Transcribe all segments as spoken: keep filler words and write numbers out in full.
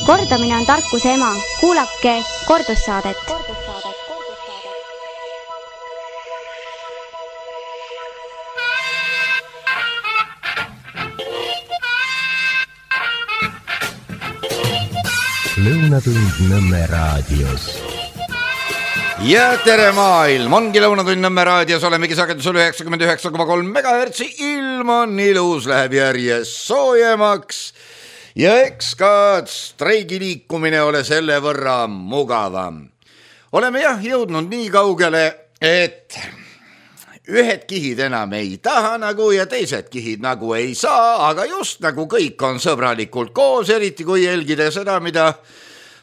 Kordamine on tarkuse ema. Kuulake kordussaadet. Lõunatund Nõmme raadios. Ja tere maailm, ongi Lõunatund Nõmme raadios, olemegi sagedusel üheksakümmend üheksa koma kolm megahertsi, ilm on ilus, läheb järjest soojemaks ja eks ka streigi liikumine ole selle võrra mugavam. Oleme jah jõudnud nii kaugele, et ühed kihid enam ei taha nagu ja teised kihid nagu ei saa, aga just nagu kõik on sõbralikult koos, eriti kui jälgida seda, mida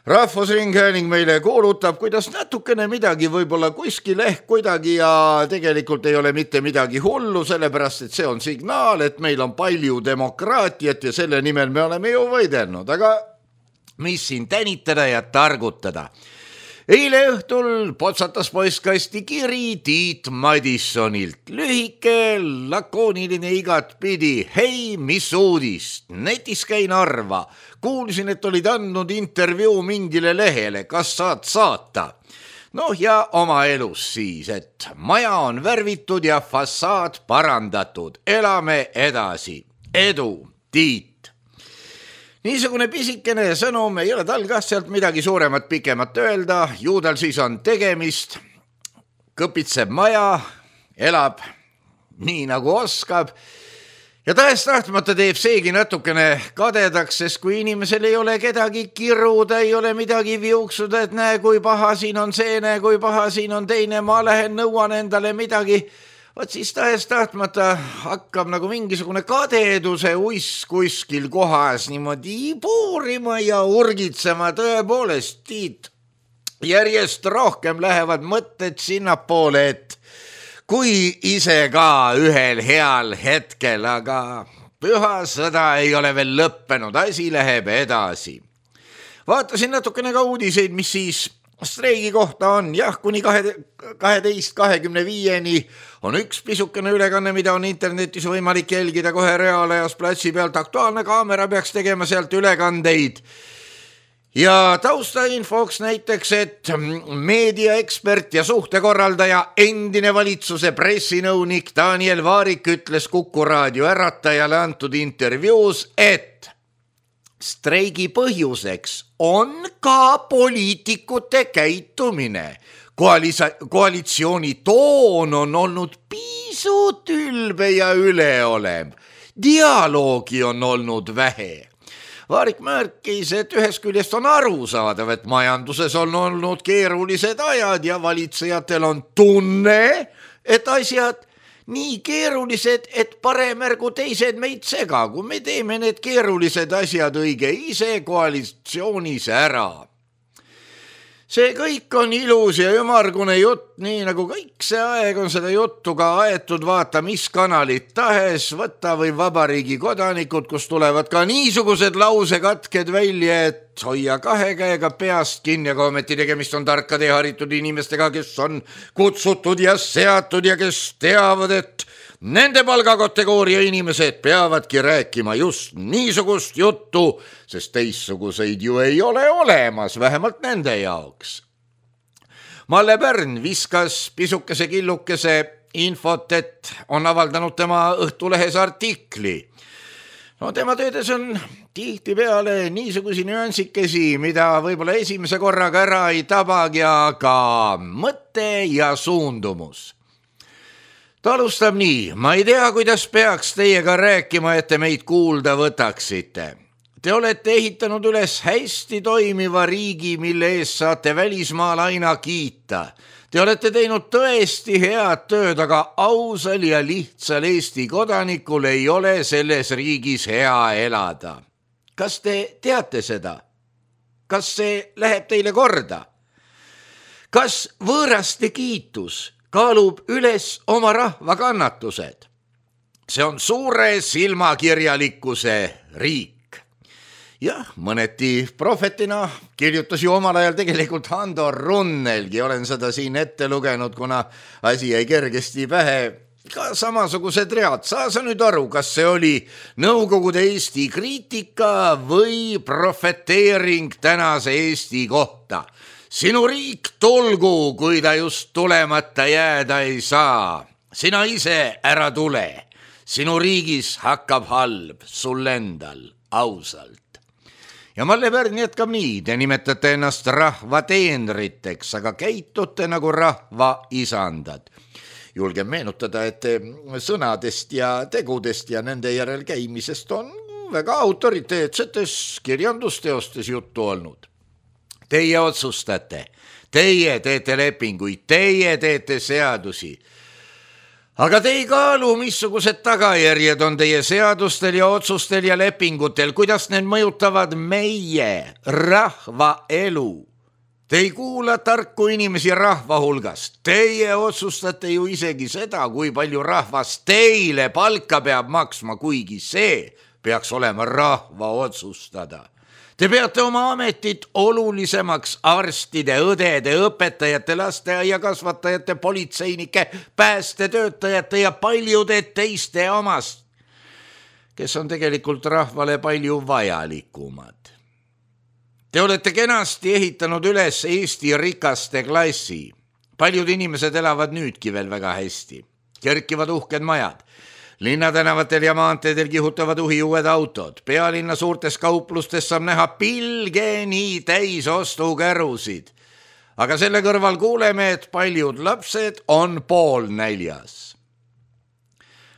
Rahvusringhääling meile kuulutab, kuidas natukene midagi võib-olla kuskil ehk kuidagi ja tegelikult ei ole mitte midagi hullu, sellepärast et see on signaal, et meil on palju demokraatiat ja selle nimel me oleme ju võidelnud, aga mis siin tänitada ja targutada? Eile õhtul potsatas postkasti kiri Tiit Madissonilt. Lühike, lakooniline igat pidi. Hei, mis uudist? Netis käin arva. Kuulsin, et olid andnud intervjuu mingile lehele. Kas saad saata? Noh ja oma elus siis, et maja on värvitud ja fassaad parandatud. Elame edasi. Edu, Tiit. Niisugune pisikene sõnum, ei ole tal kah sealt midagi suuremat pikemat öelda, ju tal siis on tegemist, kõpitseb maja, elab nii nagu oskab ja tahes tahtmata teeb seegi natukene kadedaks, sest kui inimesel ei ole kedagi kiruda, ei ole midagi viuksuda, et näe kui paha siin on see, näe kui paha siin on teine, ma lähen nõuan endale midagi. Vaat siis tahes tahtmata hakkab nagu mingisugune kadeduse uiss kuskil kohas niimoodi puurima ja urgitsema tõepoolest, Tiit. Järjest rohkem lähevad mõtted sinnapoole, et kui ise ka ühel heal hetkel, aga püha sõda ei ole veel lõppenud, asi läheb edasi. Vaatasin natukene ka uudiseid, mis siis streigi kohta on, jah, kuni kaheteist kahekümne viieni on üks pisukene ülekanne, mida on internetis võimalik jälgida kohe reaalajas platsi pealt. Aktuaalne kaamera peaks tegema sealt ülekandeid. Ja taustainfoks näiteks, et meediaekspert ja suhtekorraldaja endine valitsuse pressinõunik Daniel Vaarik ütles Kuku raadio Äratajale antud intervjuus, et streigi põhjuseks on ka poliitikute käitumine. Koalisa- koalitsiooni toon on olnud pisut ülbe ja üleolev. Dialoogi on olnud vähe. Vaarik märkis, et ühest küljest on aru saadav, et majanduses on olnud keerulised ajad ja valitsejatel on tunne, et asjad nii keerulised, et parem ärgu teised meid sega, kui me teeme need keerulised asjad õige ise koalitsioonis ära. See kõik on ilus ja ümargune jutt, nii nagu kõik see aeg on seda juttu ka aetud, vaata mis kanalit tahes, võtta või vabariigi kodanikud, kus tulevad ka niisugused lausekatked välja, et hoia kahe käega peast kinni, aga ometi tegemist on tarkade ja haritud inimestega, kes on kutsutud ja seatud ja kes teavad, et nende palgakategooria inimesed peavadki rääkima just niisugust juttu, sest teistsuguseid ju ei ole olemas, vähemalt nende jaoks. Malle Pärn viskas pisukese killukese infot, et on avaldanud tema Õhtulehes artikli. No tema töödes on tihti peale niisugusi nüansikesi, mida võib-olla esimese korraga ära ei tabagi, aga mõte ja suundumus. Ta alustab nii, ma ei tea, kuidas peaks teiega rääkima, et te meid kuulda võtaksite. Te olete ehitanud üles hästi toimiva riigi, mille ees saate välismaal aina kiita. Te olete teinud tõesti head tööd, aga ausal ja lihtsal Eesti kodanikul ei ole selles riigis hea elada. Kas te teate seda? Kas see läheb teile korda? Kas võõraste kiitus kaalub üles oma rahva kannatused? See on suure silmakirjalikkuse riik. Jah, mõneti prohvetina kirjutas ju omal ajal tegelikult Hando Runnelgi, olen seda siin ette lugenud, kuna asi jäi kergesti pähe. ka samasugused read. Saa sa nüüd aru, kas see oli Nõukogude Eesti kriitika või profeteering tänase Eesti kohta. Sinu riik tolgu, kui ta just tulemata jääda ei saa. Sina ise ära tule. Sinu riigis hakkab halb, sul endal, ausalt. Ja Malle Pärn jätkab nii, te nimetate ennast rahva teenriteks, aga käitute nagu rahva isandad. Julgen meenutada, et sõnadest ja tegudest ja nende järel käimisest on väga autoriteetsetes kirjandusteostes juttu olnud. Teie otsustate, teie teete lepinguid, teie teete seadusi. Aga te ei kaalu, missugused tagajärjed on teie seadustel ja otsustel ja lepingutel, kuidas need mõjutavad meie rahva elu. Te ei kuula tarku inimesi rahva hulgast. Teie otsustate ju isegi seda, kui palju rahvas teile palka peab maksma, kuigi see peaks olema rahva otsustada. Te peate oma ametit olulisemaks arstide, õdede, õpetajate, lasteaia kasvatajate, politseinike, päästetöötajate ja paljude teiste omast, kes on tegelikult rahvale palju vajalikumad. Te olete kenasti ehitanud üles Eesti rikaste klassi. Paljud inimesed elavad nüüdki veel väga hästi. Kerkivad uhked majad. Linnatänavatel ja maanteedel kihutavad uhi uued autod. Pealinna suurtes kauplustes saab näha pilgeni täis ostukärusid. Aga selle kõrval kuuleme, et paljud lapsed on pool näljas.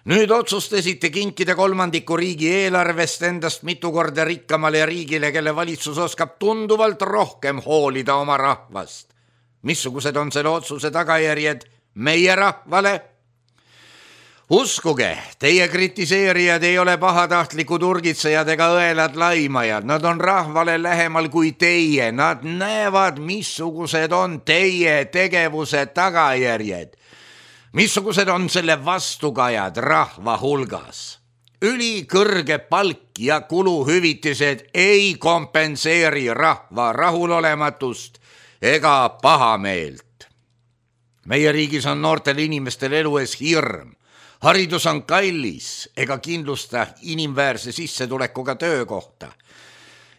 Nüüd otsustasite kinkida kolmandiku riigi eelarvest endast mitu korda rikkamale riigile, kelle valitsus oskab tunduvalt rohkem hoolida oma rahvast. Missugused on selle otsuse tagajärjed meie rahvale? Uskuge, teie kritiseerijad ei ole pahatahtlikud urgitsejad ega õelad laimajad. Nad on rahvale lähemal kui teie. Nad näevad, missugused on teie tegevuse tagajärjed. Missugused on selle vastukajad rahva hulgas. Ülikõrge palk ja kuluhüvitised ei kompenseeri rahva rahulolematust ega pahameelt. Meie riigis on noortel inimestel elu ees hirm. Haridus on kallis ega kindlusta inimväärse sissetulekuga töökohta.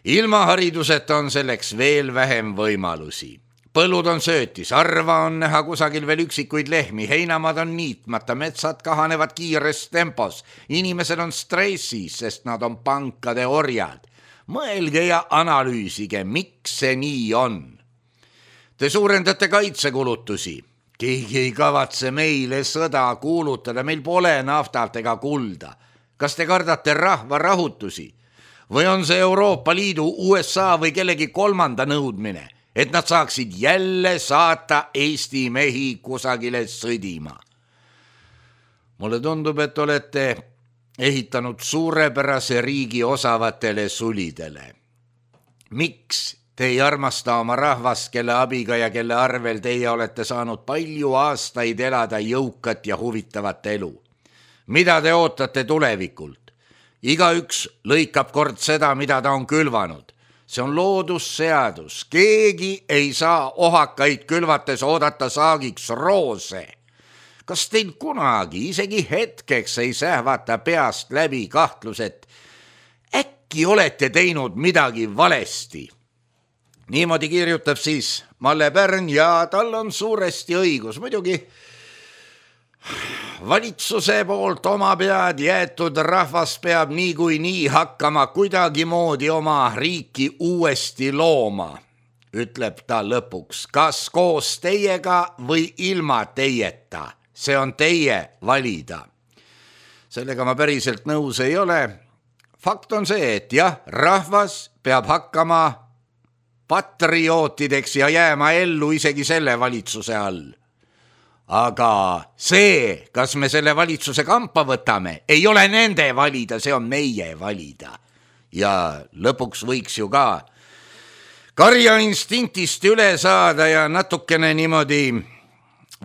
Ilma hariduseta on selleks veel vähem võimalusi. Põllud on söötis, arva on näha kusagil veel üksikuid lehmi, heinamad on niitmata, metsad kahanevad kiires tempos. Inimesed on stressis, sest nad on pankade orjad. Mõelge ja analüüsige, miks see nii on. Te suurendate kaitsekulutusi. Keegi ei kavatse meile sõda kuulutada, meil pole naftalt ega kulda. Kas te kardate rahva rahutusi? Või on see Euroopa Liidu, U S A või kellegi kolmanda nõudmine, et nad saaksid jälle saata Eesti mehi kusagile sõdima? Mulle tundub, et olete ehitanud suurepärase riigi osavatele sulidele. Miks te ei armasta oma rahvast, kelle abiga ja kelle arvel teie olete saanud palju aastaid elada jõukat ja huvitavat elu? Mida te ootate tulevikult? Igaüks lõikab kord seda, mida ta on külvanud. See on loodusseadus. Keegi ei saa ohakaid külvates oodata saagiks roose. Kas teil kunagi, isegi hetkeks ei sähvata peast läbi kahtlus, et äkki olete teinud midagi valesti? Niimoodi kirjutab siis Malle Pärn ja tal on suuresti õigus. Muidugi valitsuse poolt oma pead jäetud rahvas peab nii kui nii hakkama kuidagi moodi oma riiki uuesti looma, ütleb ta lõpuks. Kas koos teiega või ilma teieta? See on teie valida. Sellega ma päriselt nõus ei ole. Fakt on see, et jah, rahvas peab hakkama patriootideks ja jääma ellu isegi selle valitsuse all. Aga see, kas me selle valitsuse kampa võtame, ei ole nende valida, see on meie valida. Ja lõpuks võiks ju ka karja instinktist üle saada ja natukene niimoodi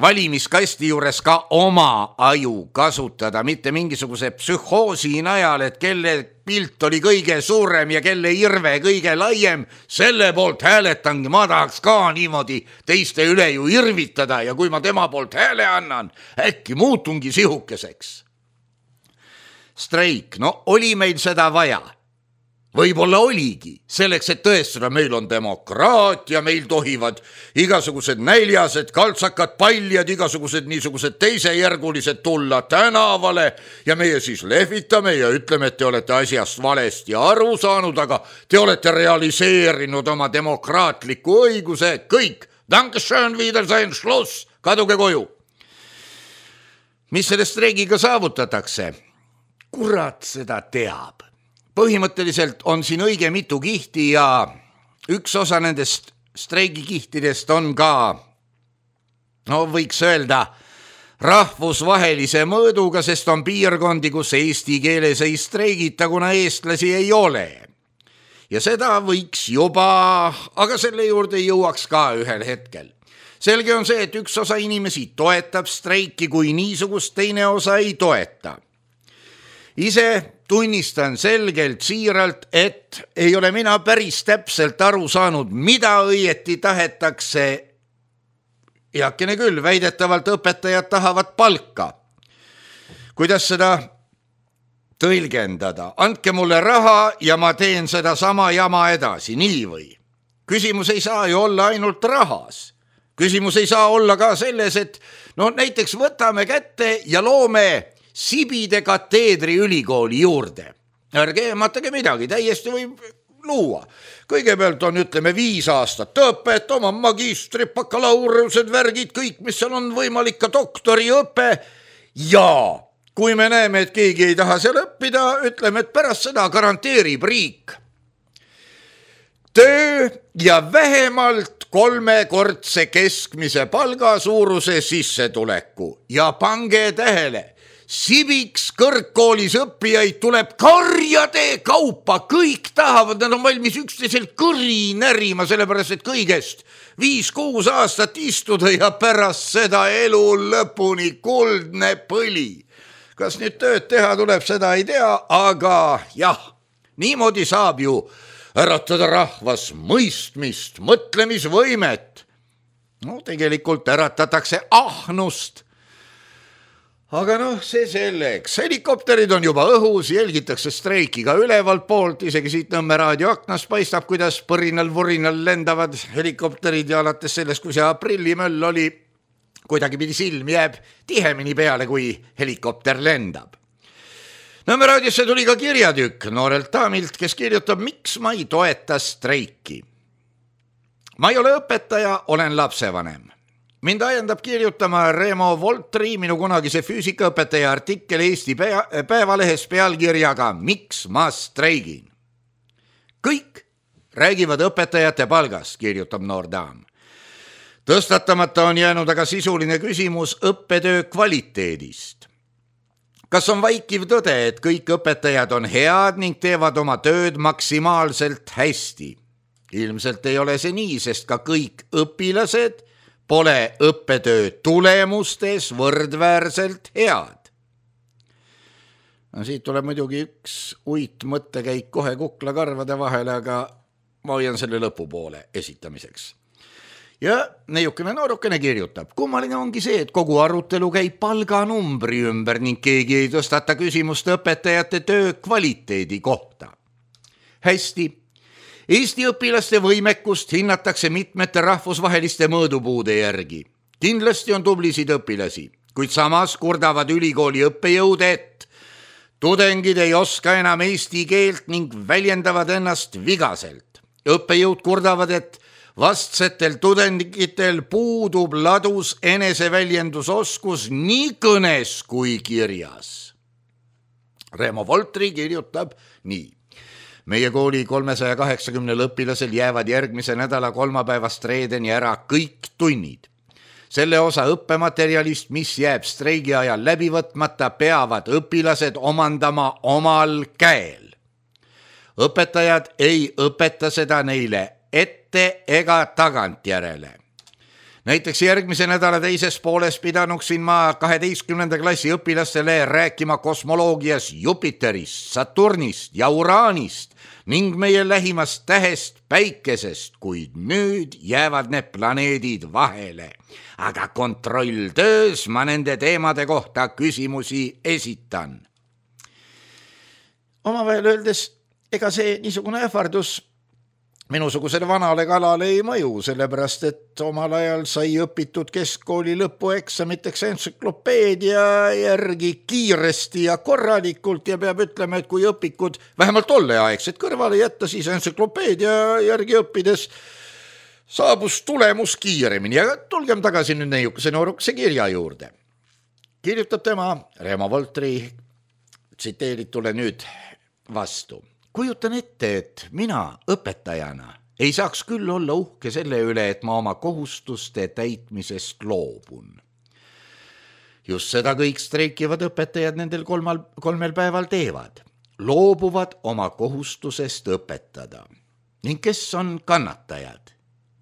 valimiskasti juures ka oma aju kasutada, mitte mingisuguse psühhoosi najal, et kelle pilt oli kõige suurem ja kelle irve kõige laiem, selle poolt hääletangi, ma tahaks ka niimoodi teiste üle ju irvitada ja kui ma tema poolt hääle annan, äkki muutungi sihukeseks. Streik, no oli meil seda vaja. Võib-olla oligi, selleks, et tõestada, meil on demokraatia, meil tohivad igasugused näljased, kaltsakad, paljad, igasugused niisugused teisejärgulised tulla tänavale ja meie siis lehvitame ja ütleme, et te olete asjast valesti aru saanud, aga te olete realiseerinud oma demokraatliku õiguse, kõik, Dankeschön, Wiedersehen, Schluss, kaduge koju. Mis selle streigiga saavutatakse? Kurat seda teab. Põhimõtteliselt on siin õige mitu kihti ja üks osa nendest streigikihtidest on ka, no võiks öelda, rahvusvahelise mõõduga, sest on piirkondi, kus eesti keeles ei streigita, kuna eestlasi ei ole. Ja seda võiks juba, aga selle juurde jõuaks ka ühel hetkel. Selge on see, et üks osa inimesi toetab streiki, kui niisugust teine osa ei toeta. Ise tunnistan selgelt siiralt, et ei ole mina päris täpselt aru saanud, mida õieti tahetakse. Heakene küll, väidetavalt õpetajad tahavad palka. Kuidas seda tõlgendada? Andke mulle raha ja ma teen seda sama jama edasi, nii või? Küsimus ei saa ju olla ainult rahas. Küsimus ei saa olla ka selles, et no näiteks võtame kätte ja loome Sibide kateedri ülikooli juurde. Ärge eematage midagi, täiesti võib luua. Kõigepealt on, ütleme, viis aastat õpet, oma magistrid, bakalaureused, värgid, kõik, mis seal on võimalik, ka doktoriõpe. Ja kui me näeme, et keegi ei taha seal õppida, ütleme, et pärast seda garanteerib riik töö ja vähemalt kolmekordse keskmise palga suuruse sissetuleku. Ja pange tähele, Sibiks kõrgkoolis õppijaid tuleb karjade kaupa, kõik tahavad, nad on valmis üksteiselt kõri närima, sellepärast et kõigest viis-kuus aastat istuda ja pärast seda elu lõpuni kuldne põli. Kas nüüd tööd teha tuleb, seda ei tea, aga jah, niimoodi saab ju äratada rahvas mõistmist, mõtlemisvõimet. No tegelikult äratatakse ahnust. Aga noh, see selleks. Helikopterid on juba õhus, jälgitakse streikiga ülevalt poolt, isegi siit Nõmme raadio aknast paistab, kuidas põrinal-vurinal lendavad helikopterid ja alates sellest, kui see aprillimöll oli, kuidagi pidi silm jääb tihemini peale, kui helikopter lendab. Nõmme raadiosse tuli ka kirjatükk noorelt daamilt, kes kirjutab, miks ma ei toeta streiki. Ma ei ole õpetaja, olen lapsevanem. Mind ajendab kirjutama Remo Voltri, minu kunagise füüsikaõpetaja artikkel Eesti Päevalehes pealkirjaga Miks ma streigin? Kõik räägivad õpetajate palgast, kirjutab noor daam. Tõstatamata on jäänud aga sisuline küsimus õppetöö kvaliteedist. Kas on vaikiv tõde, et kõik õpetajad on head ning teevad oma tööd maksimaalselt hästi? Ilmselt ei ole see nii, sest ka kõik õpilased pole õppetöö tulemustes võrdväärselt head. No, siit tuleb muidugi üks uit mõttekäik kohe kuklakarvade vahele, aga ma hoian selle lõpupoole esitamiseks. Ja neiukene noorukene kirjutab, kummaline ongi see, et kogu arutelu käib palganumbri ümber ning keegi ei tõstata küsimust õpetajate töö kvaliteedi kohta. Hästi. Eesti õpilaste võimekust hinnatakse mitmete rahvusvaheliste mõõdupuude järgi. Kindlasti on tublisid õpilasi, kuid samas kurdavad ülikooli õppejõud, et tudengid ei oska enam eesti keelt ning väljendavad ennast vigaselt. Õppejõud kurdavad, et vastsetel tudengitel puudub ladus eneseväljendusoskus nii kõnes kui kirjas. Remo Voltri kirjutab nii. Meie kooli kolmesaja kaheksakümnel õpilasel jäävad järgmise nädala kolmapäevast reedeni ära kõik tunnid. Selle osa õppematerjalist, mis jääb streigi ajal läbi võtmata, peavad õpilased omandama omal käel. Õpetajad ei õpeta seda neile ette ega tagantjärele. näiteks järgmise nädala teises pooles pidanuksin ma kaheteistkümnenda klassi õpilastele rääkima kosmoloogias Jupiterist, Saturnist ja Uraanist ning meie lähimast tähest Päikesest, kuid nüüd jäävad need planeedid vahele. Aga kontrolltöös ma nende teemade kohta küsimusi esitan. Omavahel öeldes, ega see niisugune ähvardus minusugusele vanale kalale ei mõju, sellepärast et omal ajal sai õpitud keskkooli lõpueksamiteks entsüklopeedia järgi kiiresti ja korralikult ja peab ütlema, et kui õpikud vähemalt tolleaegset kõrvale jätta, siis entsüklopeedia järgi õppides saabus tulemus kiiremini. Ja tulgem tagasi nüüd neiukese noorukese kirja juurde. Kirjutab tema Reemo Voltri tsiteeritule nüüd vastu. Kujutan ette, et mina õpetajana ei saaks küll olla uhke selle üle, et ma oma kohustuste täitmisest loobun. Just seda kõik streikivad õpetajad nendel kolmal, kolmel päeval teevad. Loobuvad oma kohustusest õpetada. Ning kes on kannatajad?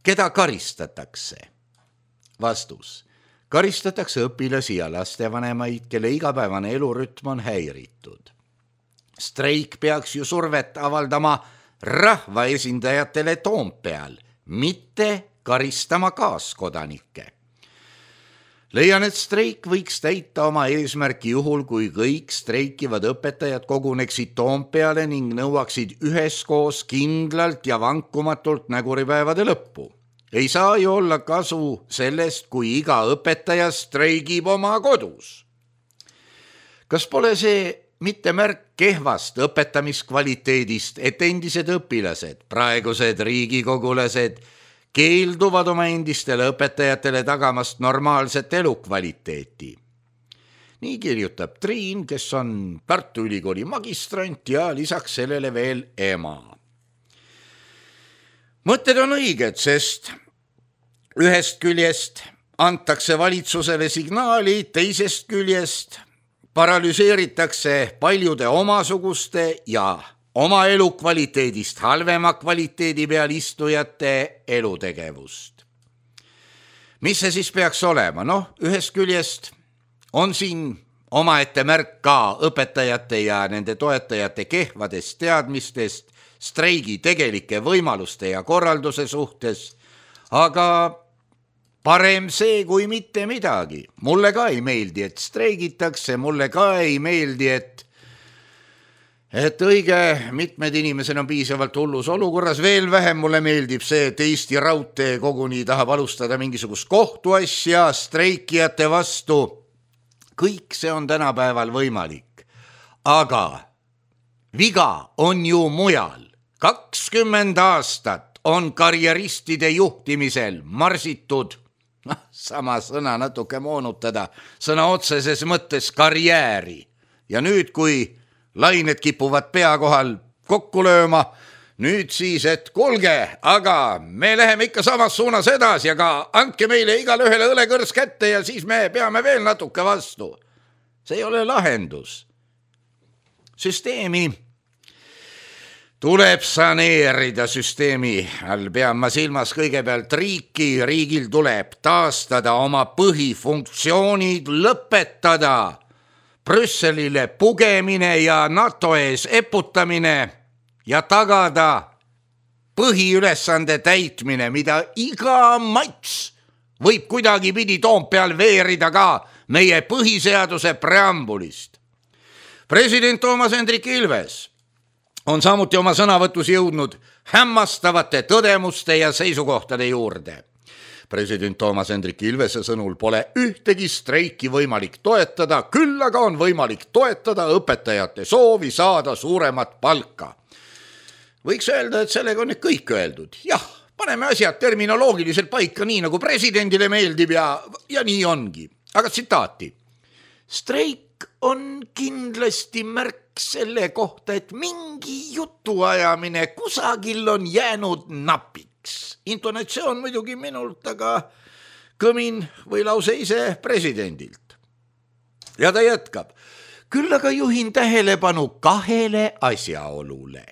Keda karistatakse? Vastus. Karistatakse õpilasi ja lastevanemaid, kelle igapäevane elurütm on häiritud. Streik peaks ju survet avaldama rahvaesindajatele Toompeal, mitte karistama kaaskodanikke. Leian, et streik võiks täita oma eesmärki juhul, kui kõik streikivad õpetajad koguneksid Toompeale ning nõuaksid üheskoos kindlalt ja vankumatult näguripäevade lõppu. Ei saa ju olla kasu sellest, kui iga õpetaja streigib oma kodus. Kas pole see mitte märk kehvast õpetamiskvaliteedist, et endised õpilased, praegused riigikogulased keelduvad oma endistele õpetajatele tagamast normaalset elukvaliteeti? Nii kirjutab Triin, kes on Tartu Ülikooli magistrant ja lisaks sellele veel ema. Mõtted on õiged, sest ühest küljest antakse valitsusele signaali, teisest küljest paralüseeritakse paljude omasuguste ja oma elukvaliteedist halvema kvaliteedi peal istujate elutegevust. Mis see siis peaks olema? Noh, ühest küljest on siin omaette märk ka õpetajate ja nende toetajate kehvadest teadmistest, streigi tegelike võimaluste ja korralduse suhtes, aga parem see kui mitte midagi. Mulle ka ei meeldi, et streigitakse, mulle ka ei meeldi, et, et õige mitmed inimesed on piisavalt hullus olukorras. Veel vähem mulle meeldib see, et Eesti Raudtee koguni tahab alustada mingisugust kohtuasja streikijate vastu. Kõik see on tänapäeval võimalik. Aga viga on ju mujal. kakskümmend aastat on karjeristide juhtimisel marsitud, sama sõna natuke moonutada, sõna otseses mõttes karjääri. Ja nüüd, kui lained kipuvad pea kohal kokku lööma, nüüd siis, et kuulge, aga me läheme ikka samas suunas edasi, aga andke meile igale ühele õlekõrs kätte ja siis me peame veel natuke vastu. See ei ole lahendus. Süsteemi tuleb saneerida. Süsteemi all pean ma silmas kõigepealt riiki. Riigil tuleb taastada oma põhifunktsioonid, lõpetada Brüsselile pugemine ja NATO ees eputamine ja tagada põhiülesande täitmine, mida iga mats võib kuidagi pidi Toompeal veerida ka meie põhiseaduse preambulist. President Toomas Hendrik Ilves on samuti oma sõnavõtus jõudnud hämmastavate tõdemuste ja seisukohtade juurde. President Toomas Hendrik Ilvese sõnul pole ühtegi streiki võimalik toetada, küll aga on võimalik toetada õpetajate soovi saada suuremat palka. Võiks öelda, et sellega on nüüd kõik öeldud. Jah, paneme asjad terminoloogiliselt paika nii, nagu presidendile meeldib ja, ja nii ongi. Aga tsitaati. Streik on kindlasti märk selle kohta, et mingi jutuajamine kusagil on jäänud napiks. Intonatsioon muidugi minult, aga kõmin või lause ise presidendilt. Ja ta jätkab. Küll aga juhin tähelepanu kahele asjaolule.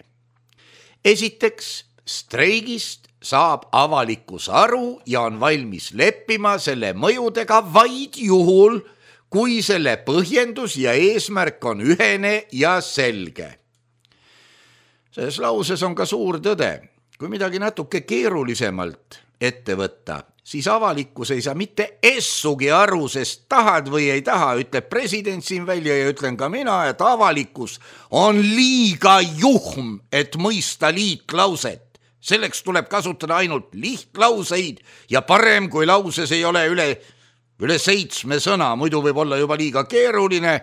Esiteks, streigist saab avalikkus aru ja on valmis leppima selle mõjudega vaid juhul, kui selle põhjendus ja eesmärk on ühene ja selge. Selles lauses on ka suur tõde. Kui midagi natuke keerulisemalt ette võtta, siis avalikkus ei saa mitte essugi aru, sest tahad või ei taha, ütleb president siin välja ja ütlen ka mina, et avalikkus on liiga juhm, et mõista liitlauset. Selleks tuleb kasutada ainult lihtlauseid ja parem, kui lauses ei ole üle, üle seitsme sõna, muidu võib olla juba liiga keeruline,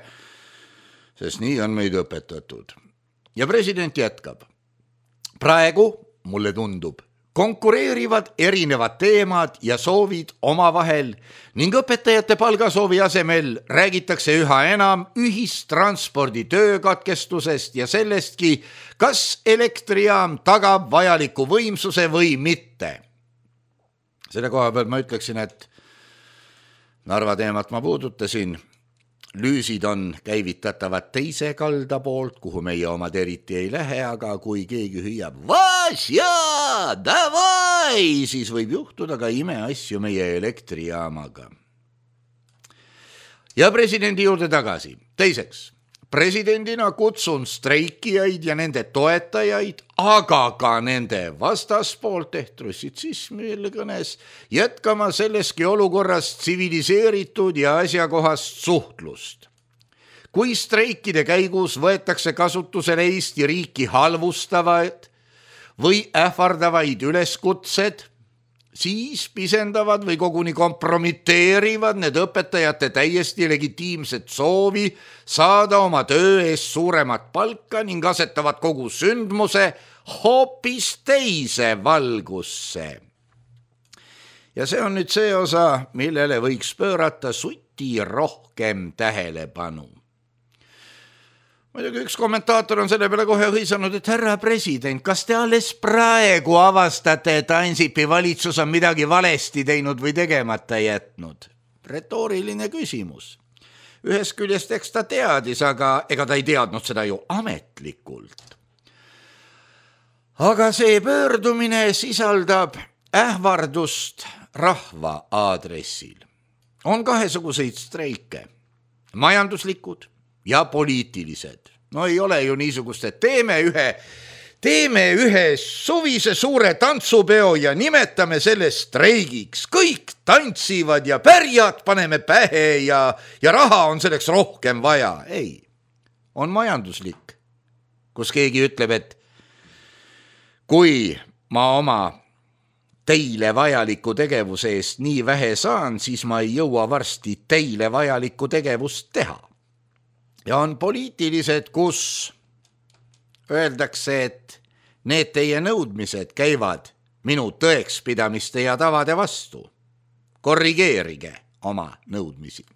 sest nii on meid õpetatud. Ja president jätkab. Praegu, mulle tundub, konkureerivad erinevad teemad ja soovid omavahel ning õpetajate palgasoovi asemel räägitakse üha enam ühistranspordi töökatkestusest ja sellestki, kas elektrijaam tagab vajaliku võimsuse või mitte. Selle koha peal ma ütleksin, et Narva teemat ma puudutasin. Lüüsid on käivitatavad teise kalda poolt, kuhu meie omad eriti ei lähe, aga kui keegi hüüab Vasja, davai, siis võib juhtuda ka imeasju meie elektrijaamaga. Ja presidendi juurde tagasi. Teiseks, presidendina kutsun streikijaid ja nende toetajaid, aga ka nende vastaspoolt ehk trussitsismi kõnes jätkama selleski olukorras tsiviliseeritud ja asjakohast suhtlust. Kui streikide käigus võetakse kasutusele Eesti riiki halvustavad või ähvardavaid üleskutsed, siis pisendavad või koguni kompromiteerivad need õpetajate täiesti legitiimset soovi saada oma töö eest suuremat palka ning asetavad kogu sündmuse hoopis teise valgusse. Ja see on nüüd see osa, millele võiks pöörata suti rohkem tähelepanu. Muidugi üks kommentaator on selle peale kohe hõisanud, et härra president, kas te alles praegu avastate, et Ansipi valitsus on midagi valesti teinud või tegemata jätnud? Retooriline küsimus. Ühest küljest eks ta teadis, aga ega ta ei teadnud seda ju ametlikult. Aga see pöördumine sisaldab ähvardust rahva aadressil. On kahesuguseid streike, majanduslikud ja poliitilised. No ei ole ju niisugust, et teeme ühe, teeme ühe suvise suure tantsupeo ja nimetame selle streigiks. Kõik tantsivad ja pärjad paneme pähe ja, ja raha on selleks rohkem vaja. Ei, on majanduslik, kus keegi ütleb, et kui ma oma teile vajaliku tegevuse eest nii vähe saan, siis ma ei jõua varsti teile vajalikku tegevust teha. Ja on poliitilised, kus öeldakse, et need teie nõudmised käivad minu tõekspidamiste ja tavade vastu. Korrigeerige oma nõudmisi.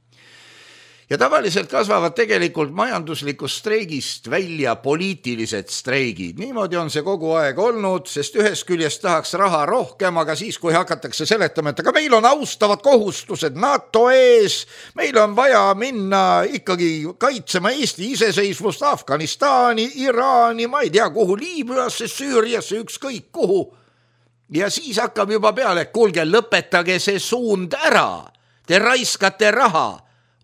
Ja tavaliselt kasvavad tegelikult majanduslikust streigist välja poliitilised streigid. Niimoodi on see kogu aeg olnud, sest ühest küljest tahaks raha rohkem, aga siis, kui hakatakse seletama, et aga meil on austavad kohustused NATO ees, meil on vaja minna ikkagi kaitsema Eesti iseseisvust Afganistani, Iraani, ma ei tea kuhu, Liibüasse, Süüriasse, ükskõik kuhu. Ja siis hakkab juba peale, et kuulge, lõpetage see suund ära, te raiskate raha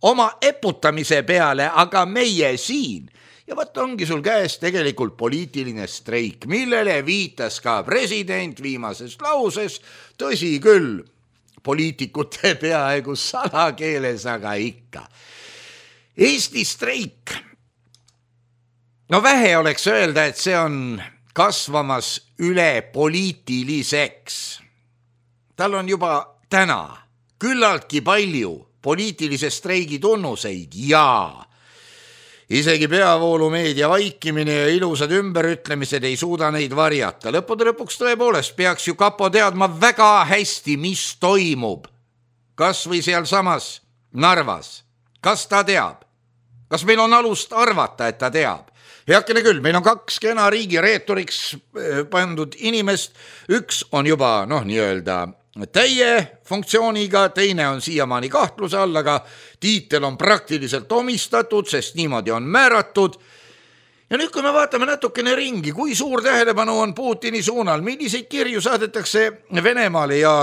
oma eputamise peale, aga meie siin. Ja võt ongi sul käes tegelikult poliitiline streik, millele viitas ka president viimases lauses, tõsi küll, poliitikute peaaegu salakeeles, aga ikka. Eesti streik, no vähe oleks öelda, et see on kasvamas üle poliitiliseks. Tal on juba täna küllaltki palju poliitilise streigi tunnuseid ja isegi peavoolumeedia vaikimine ja ilusad ümberütlemised ei suuda neid varjata. Lõppude lõpuks tõepoolest peaks ju kapo teadma väga hästi, mis toimub. Kas või seal samas Narvas. Kas ta teab? Kas meil on alust arvata, et ta teab? Heakene küll, meil on kaks kena riigi reetoriks pandud inimest. Üks on juba, noh, nii-öelda täie funktsiooniga, teine on siiamaani kahtluse all, aga tiitel on praktiliselt omistatud, sest niimoodi on määratud. Ja nüüd, kui me vaatame natukene ringi, kui suur tähelepanu on Putini suunal, milliseid kirju saadetakse Venemaale ja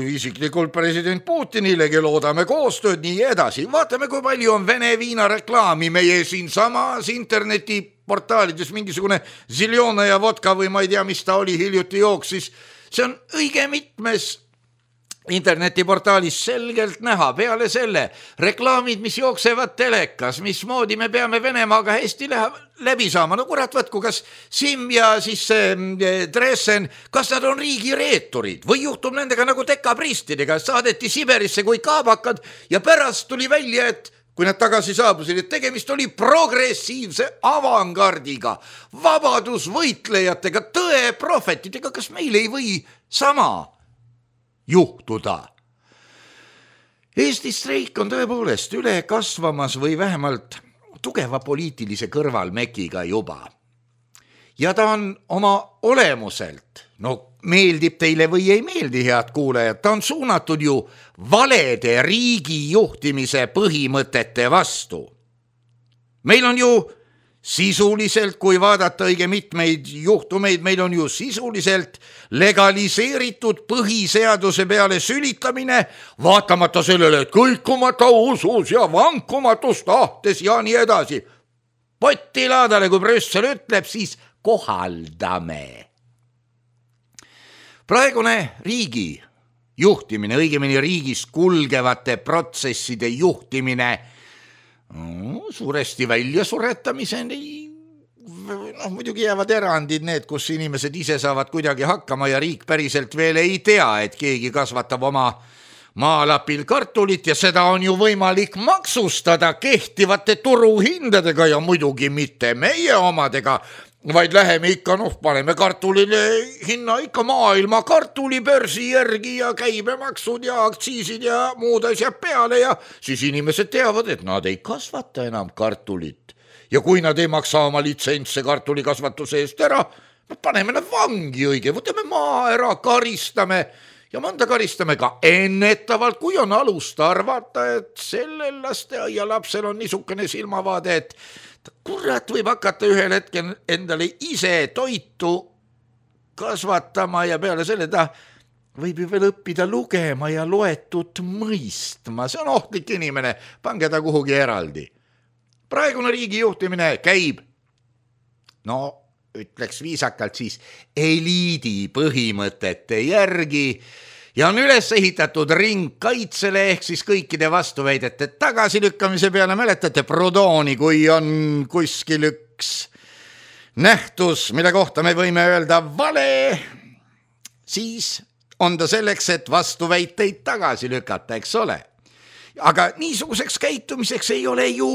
isiklikult president Putinile, loodame koostööd, nii edasi. Vaatame, kui palju on Vene viina reklaami meie siin samas internetiportaalides, mingisugune Ziljona ja vodka või ma ei tea, mis ta oli hiljuti jooksis. See on õige mitmes internetiportaalis selgelt näha, peale selle reklaamid, mis jooksevad telekas, mismoodi me peame Venemaaga hästi läbi saama. No kurat, võtku, kas Sim ja siis Dresen, kas nad on riigireeturid või juhtub nendega nagu dekapristidega, saadeti Siberisse kui kaabakad ja pärast tuli välja, et kui nad tagasi saabusid, et tegemist oli progressiivse avangardiga, vabadusvõitlejatega, tõe prohvetidega, kas meil ei või sama juhtuda. Eesti streik on tõepoolest üle kasvamas või vähemalt tugeva poliitilise kõrvalmekiga juba. Ja ta on oma olemuselt, no meeldib teile või ei meeldi, head kuulajad, ta on suunatud ju valede riigi juhtimise põhimõtete vastu. Meil on ju sisuliselt, kui vaadata õige mitmeid juhtumeid, meil on ju sisuliselt legaliseeritud põhiseaduse peale sülitamine, vaatamata sellele, et kõikumata usus ja vankumatus tahtes ja nii edasi. Potilaadale, kui Brüssel ütleb, siis kohaldame. Praegune riigi juhtimine, õigemini riigis kulgevate protsesside juhtimine, No, suuresti välja suretamiseni, noh, muidugi jäävad erandid need, kus inimesed ise saavad kuidagi hakkama ja riik päriselt veel ei tea, et keegi kasvatab oma maalapil kartulit ja seda on ju võimalik maksustada kehtivate turuhindadega ja muidugi mitte meie omadega, vaid läheme ikka, noh, paneme kartulile hinna ikka maailma kartulibörsi järgi ja käibemaksud ja aktsiisid ja muud asjad peale ja siis inimesed teavad, et nad ei kasvata enam kartulit. Ja kui nad ei maksa oma litsentse kartulikasvatuse eest ära, paneme nad vangi õige, võtame maa ära, karistame ja mõnda karistame ka ennetavalt, kui on alust arvata, et sellel lasteaia lapsel on niisugune silmavaade, et kurat võib hakata ühel hetkel endale ise toitu kasvatama ja peale selle ta võib ju veel õppida lugema ja loetut mõistma. See on ohtlik inimene, pange ta kuhugi eraldi. Praegune riigi juhtimine käib, no ütleks viisakalt siis, eliidi põhimõtete järgi ja on üles ehitatud ringkaitsele ehk siis kõikide vastuväidete tagasilükkamise peale. Mäletate Proudhoni, kui on kuskil üks nähtus, mille kohta me võime öelda vale, siis on ta selleks, et vastuväiteid tagasi lükata, eks ole. Aga niisuguseks käitumiseks ei ole ju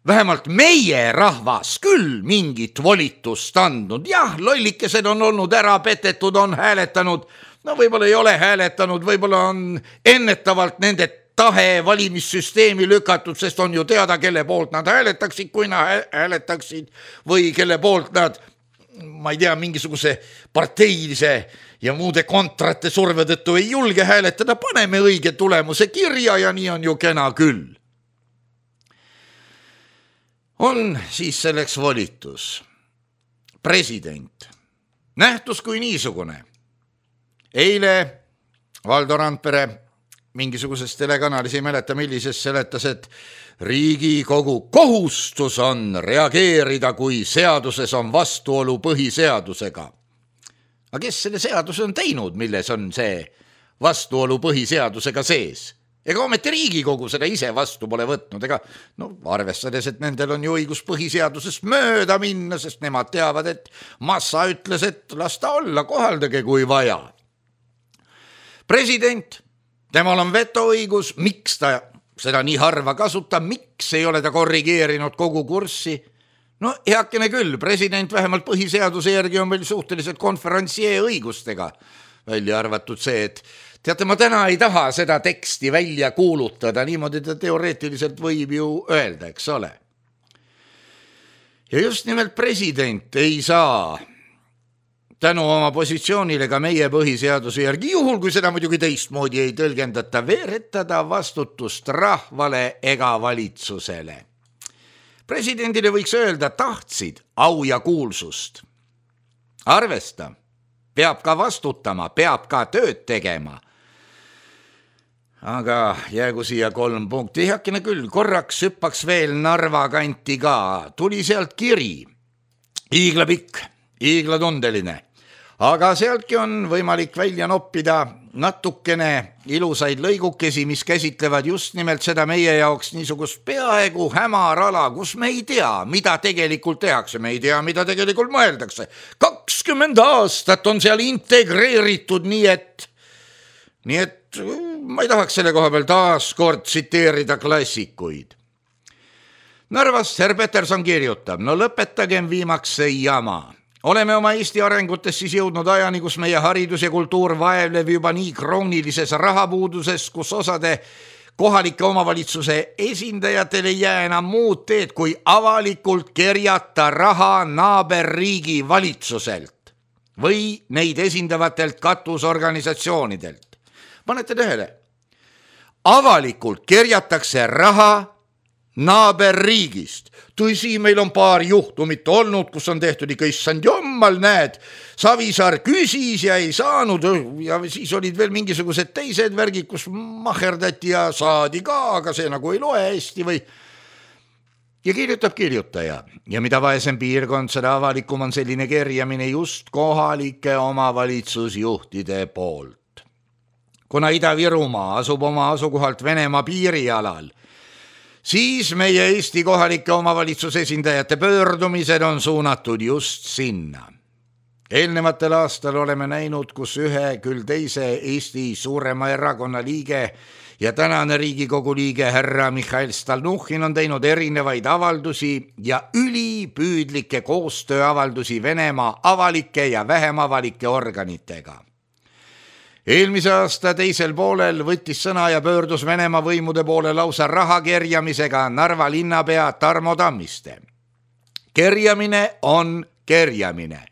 vähemalt meie rahvas küll mingit volitust andnud. Jah, lollikesed on olnud ära petetud, on hääletanud, no võib-olla ei ole hääletanud, võib-olla on ennetavalt nende tahe valimissüsteemi lükatud, sest on ju teada, kelle poolt nad hääletaksid, kui nad hääletaksid või kelle poolt nad, ma ei tea, mingisuguse parteilise ja muude kontrate surve tõttu ei julge hääletada, paneme õige tulemuse kirja ja nii on ju kena küll. On siis selleks volitus. President. Nähtus kui niisugune. Eile Valdo Randpere mingisuguses telekanalis, ei mäleta millises, seletas, et Riigikogu kohustus on reageerida, kui seaduses on vastuolu põhiseadusega. Aga kes selle seaduse on teinud, milles on see vastuolu põhiseadusega sees? Ega ometi Riigikogu seda ise vastu pole võtnud, ega no, arvestades, et nendel on ju õigus põhiseadusest mööda minna, sest nemad teavad, et massa ütles, et las ta olla, kohaldage kui vaja. President, temal on vetoõigus, miks ta seda nii harva kasutab, miks ei ole ta korrigeerinud kogu kurssi? No heakene küll, president vähemalt põhiseaduse järgi on veel suhteliselt konferentsieë õigustega välja arvatud see, et teate, ma täna ei taha seda teksti välja kuulutada, niimoodi ta teoreetiliselt võib ju öelda, eks ole. Ja just nimelt president ei saa tänu oma positsioonile ka meie põhiseaduse järgi, juhul kui seda muidugi teistmoodi ei tõlgendata, veeretada vastutust rahvale ega valitsusele. Presidendile võiks öelda, tahtsid au ja kuulsust. Arvesta, peab ka vastutama, peab ka tööd tegema. Aga jäägu siia kolm punkti. Heakene küll, korraks hüppaks veel Narva kanti ka. Tuli sealt kiri. Iigla pikk, iigla tundeline. Aga sealtki on võimalik välja noppida natukene ilusaid lõigukesi, mis käsitlevad just nimelt seda meie jaoks niisugust peaaegu hämarala, kus me ei tea, mida tegelikult tehakse, me ei tea, mida tegelikult mõeldakse. kakskümmend aastat on seal integreeritud, nii et, nii et ma ei tahaks selle koha peal taas kord tsiteerida klassikuid. Narvast Herr Peterson kirjutab, no lõpetagem viimaks see jama. Oleme oma Eesti arengutes siis jõudnud ajani, kus meie haridus ja kultuur vaevleb juba nii kroonilises rahapuuduses, kus osade kohalike omavalitsuse esindajatel ei jää enam muud teed, kui avalikult kerjata raha naaberriigi valitsuselt või neid esindavatelt katusorganisatsioonidelt. Panete tähele, avalikult kerjatakse raha naaberriigist. Tõsi, meil on paar juhtumit olnud, kus on tehtud ikka issand jommal, näed, Savisaar küsis ja ei saanud ja siis olid veel mingisugused teised värgid, kus maherdati ja saadi ka, aga see nagu ei loe hästi või. Ja kirjutab kirjutaja ja mida vaesem piirkond, seda avalikum on selline kerjamine just kohalike omavalitsusjuhtide poolt. Kuna Ida-Virumaa asub oma asukohalt Venemaa piirialal, siis meie Eesti kohalike omavalitsuse esindajate pöördumised on suunatud just sinna. Eelnevatel aastal oleme näinud, kus ühe küll teise Eesti suurema erakonna liige ja tänane Riigikogu liige härra Mihhail Stalnuhhin on teinud erinevaid avaldusi ja ülipüüdlikke koostööavaldusi Venemaa avalike ja vähem avalike organitega. Eelmise aasta teisel poolel võttis sõna ja pöördus Venemaa võimude poole lausa raha kerjamisega Narva linnapea Tarmo Tammiste. Kerjamine on kerjamine.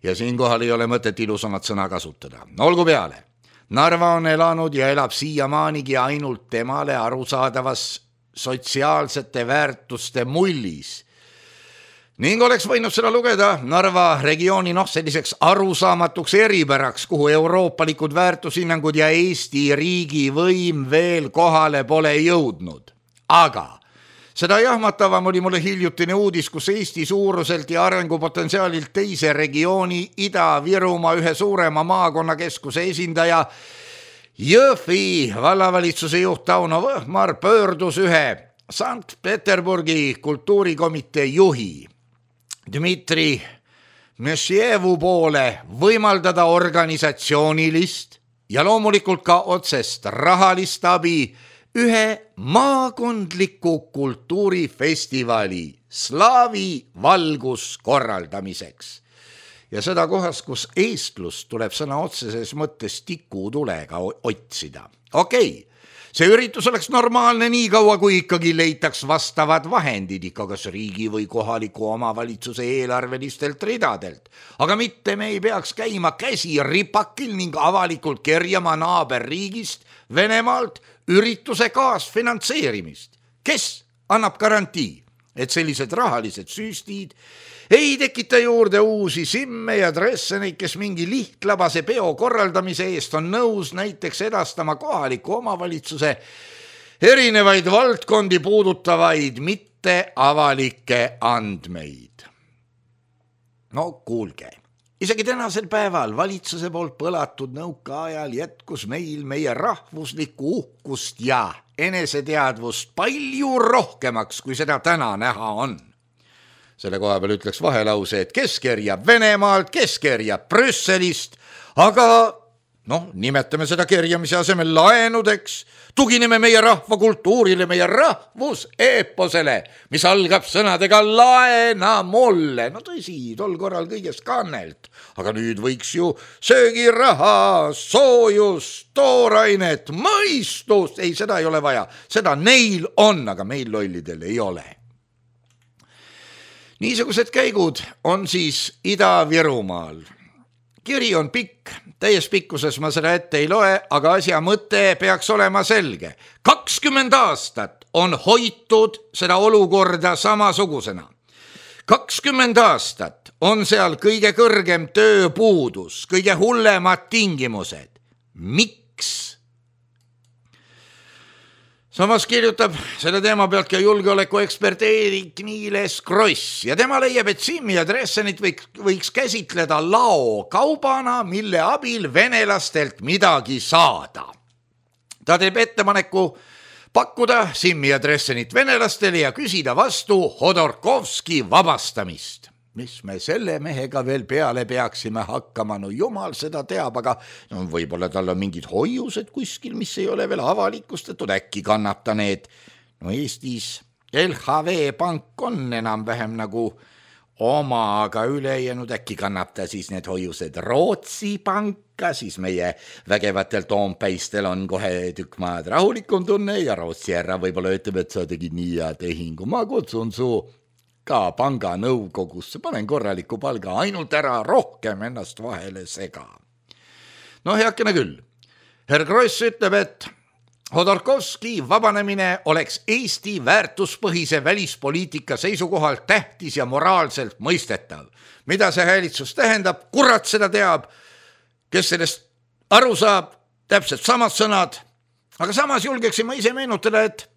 Ja siinkohal ei ole mõtet ilusamat sõna kasutada. Olgu peale. Narva on elanud ja elab siiamaanigi ainult temale arusaadavas sotsiaalsete väärtuste mullis. Ning oleks võinud seda lugeda Narva regiooni noh selliseks arusaamatuks eripäraks, kuhu euroopalikud väärtushinnangud ja Eesti riigi võim veel kohale pole jõudnud. Aga seda jahmatavam oli mulle hiljutine uudis, kus Eesti suuruselt ja arengupotentsiaalilt teise regiooni Ida-Virumaa ühe suurema maakonnakeskuse esindaja Jõhvi vallavalitsuse juht Tauno Võhmar pöördus ühe Sankt Peterburgi kultuurikomitee juhi Dmitri Mešjevu poole võimaldada organisatsioonilist ja loomulikult ka otsest rahalist abi ühe maakondliku kultuurifestivali Slaavi valgus korraldamiseks. Ja seda kohas, kus eestlust tuleb sõna otseses mõttes tikutulega otsida. Okei, see üritus oleks normaalne nii kaua, kui ikkagi leitaks vastavad vahendid ikka kas riigi või kohaliku omavalitsuse eelarvelistelt ridadelt. Aga mitte me ei peaks käima käsi ripakil ning avalikult kerjama naaberriigist Venemaalt ürituse kaasfinantseerimist. Kes annab garantii, et sellised rahalised süstid ei tekita juurde uusi simme ja dresseneid, kes mingi lihtlabase peo korraldamise eest on nõus näiteks edastama kohaliku omavalitsuse erinevaid valdkondi puudutavaid mitte avalikke andmeid. No kuulge, isegi tänasel päeval valitsuse poolt põlatud nõukaajal jätkus meil meie rahvuslikku uhkust ja eneseteadvust palju rohkemaks, kui seda täna näha on. Selle koha peal ütleks vahelause, et kes kerjab Venemaalt, kes kerjab Brüsselist, aga noh, nimetame seda kerjamise asemel laenudeks, tugineme meie rahvakultuurile, meie rahvuseeposele, mis algab sõnadega laena mulle. No tõsi, tol korral kõigest kannelt, aga nüüd võiks ju söögiraha, soojust, toorainet, mõistust, ei, seda ei ole vaja, seda neil on, aga meil lollidel ei ole. Niisugused käigud on siis Ida-Virumaal. Kiri on pikk, täies pikkuses ma seda ette ei loe, aga asja mõte peaks olema selge. kakskümmend aastat on hoitud seda olukorda samasugusena. kakskümmend aastat on seal kõige kõrgem tööpuudus, kõige hullemad tingimused. Miks? Samas kirjutab selle teema pealt ka julgeolekuekspert Eerik Niiles Kross ja tema leiab, et Simmi ja Dressenit võiks, võiks käsitleda lao kaubana, mille abil venelastelt midagi saada. Ta teeb ettepaneku pakkuda Simmi ja Dressenit venelastele ja küsida vastu Hodorkovski vabastamist. Mis me selle mehega veel peale peaksime hakkama, no jumal seda teab, aga no, võib-olla tal on mingid hoiused kuskil, mis ei ole veel avalikustatud, äkki kannab ta need. No Eestis L H V pank on enam-vähem nagu oma, aga ülejäänud äkki kannab ta siis need hoiused Rootsi panka, siis meie vägevatel Toompeistel on kohe tükk maad rahulikum tunne ja Rootsi härra võib-olla ütleb, et sa tegid nii hea tehingu, ma kutsun su ka panga nõukogusse, panen korraliku palga, ainult ära rohkem ennast vahele sega. No heakene küll. Herr Kross ütleb, et Hodorkovski vabanemine oleks Eesti väärtuspõhise välispoliitika seisukohalt tähtis ja moraalselt mõistetav. Mida see häälitsus tähendab? Kurat seda teab, kes sellest aru saab, täpselt samad sõnad, aga samas julgeksin ma ise meenutada, et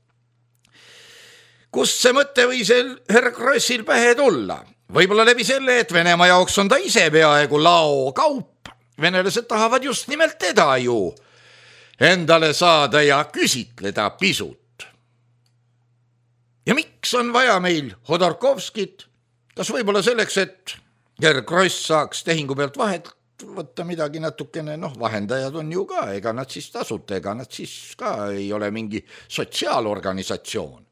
kust see mõte või see Herr Krossil pähe tulla? Võib-olla läbi selle, et Venemaa jaoks on ta ise peaaegu lao kaup. Venelased tahavad just nimelt teda ju endale saada ja küsitleda pisut. Ja miks on vaja meil Hodorkovskit? Kas võib-olla selleks, et Herr Kross saaks tehingu pealt vahet võtta midagi natukene, noh, vahendajad on ju ka, ega nad siis tasuta, ega nad siis ka ei ole mingi sotsiaalorganisatsioon.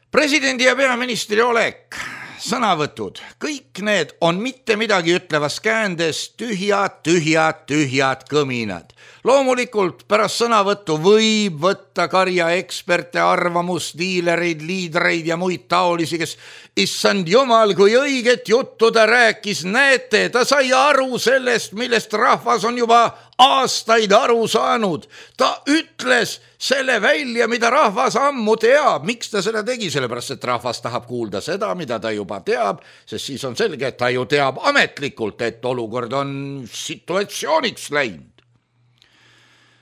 Presidendi ja peaministri olek, sõnavõtud, kõik need on mitte midagi ütlevas käändes tühjad, tühjad, tühjad kõminad. Loomulikult pärast sõnavõttu võib võtta karja eksperte, arvamust, diilereid, liidreid ja muid taolisi, kes issand jumal, kui õiget juttu ta rääkis, näete, ta sai aru sellest, millest rahvas on juba aastaid aru saanud. Ta ütles selle välja, mida rahvas ammu teab. Miks ta seda tegi? Sellepärast, et rahvas tahab kuulda seda, mida ta juba teab, sest siis on selge, et ta ju teab ametlikult, et olukord on situatsiooniks läinud.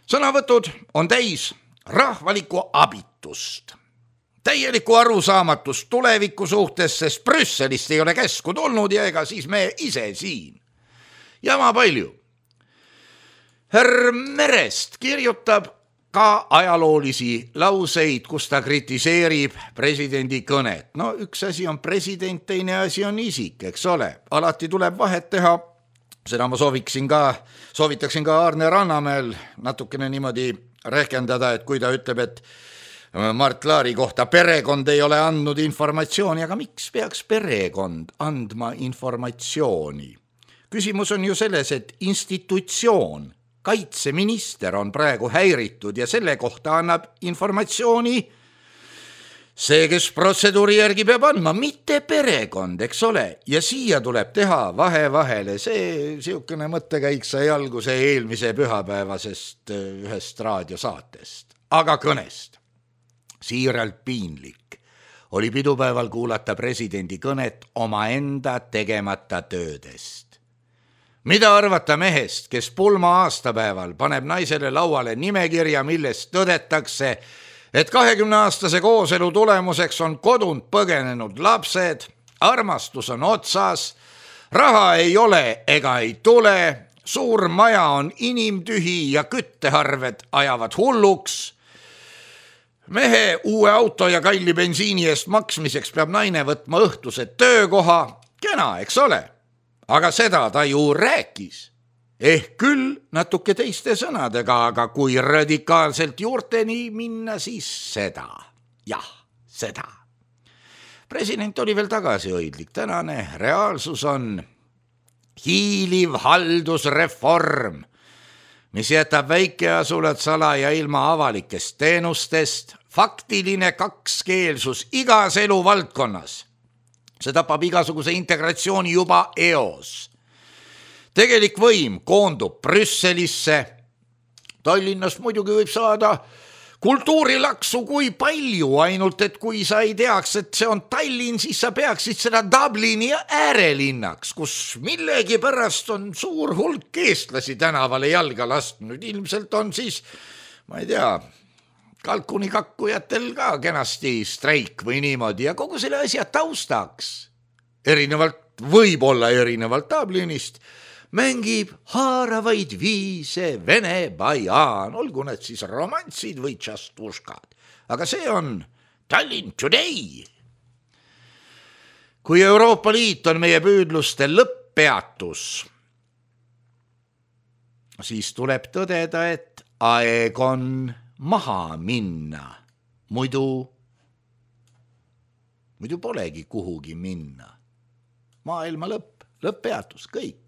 Sõnavõtud on täis rahvalikku abitust, täielikku arusaamatust tuleviku suhtes, sest Brüsselist ei ole käsku tulnud ja ega siis me ise siin. Jama palju. Herr Merest kirjutab ka ajaloolisi lauseid, kus ta kritiseerib presidendi kõnet. No üks asi on president, teine asi on isik, eks ole. Alati tuleb vahet teha. Seda ma sooviksin ka, soovitaksin ka Arne Rannamäel natukene niimoodi rehkendada, et kui ta ütleb, et Mart Laari kohta perekond ei ole andnud informatsiooni, aga miks peaks perekond andma informatsiooni? Küsimus on ju selles, et institutsioon, kaitseminister on praegu häiritud ja selle kohta annab informatsiooni see, kes protseduuri järgi peab andma, mitte perekond, eks ole. Ja siia tuleb teha vahe vahele. See siukene mõttekäik sai alguse eelmise pühapäevasest ühest raadiosaatest, aga kõnest. Siiralt piinlik oli pidupäeval kuulata presidendi kõnet oma enda tegemata töödest. Mida arvata mehest, kes pulma aastapäeval paneb naisele lauale nimekirja, millest tõdetakse, et kahekümne aastase kooselu tulemuseks on kodunt põgenenud lapsed, armastus on otsas, raha ei ole ega ei tule, suur maja on inimtühi ja kütteharved ajavad hulluks. Mehe uue auto ja kalli bensiini eest maksmiseks peab naine võtma õhtuse töökoha, kena, eks ole, aga seda ta ju rääkis. Ehk küll natuke teiste sõnadega, aga kui radikaalselt juurteni minna, siis seda. Jah, seda. President oli veel tagasihoidlik. Tänane reaalsus on hiiliv haldusreform, mis jätab väikeasulad sala ja ilma avalikest teenustest, faktiline kakskeelsus igas eluvaldkonnas. See tapab igasuguse integratsiooni juba eos. Tegelik võim koondub Brüsselisse. Tallinnast muidugi võib saada kultuurilaksu kui palju, ainult et kui sa ei teaks, et see on Tallinn, siis sa peaksid seda Dublini äärelinnaks, kus millegi pärast on suur hulk eestlasi tänavale jalga lastnud. Ilmselt on siis, ma ei tea, kalkuni kakkujatel ka kenasti streik või niimoodi ja kogu selle asja taustaks, erinevalt, võib-olla erinevalt Dublinist, mängib haaravaid viise Vene bajaan, olgu need siis romantsid või tšastuškad. Aga see on Tallinn Today. Kui Euroopa Liit on meie püüdluste lõpppeatus, siis tuleb tõdeda, et aeg on maha minna. Muidu, muidu polegi kuhugi minna. Maailma lõpp, lõpppeatus, kõik.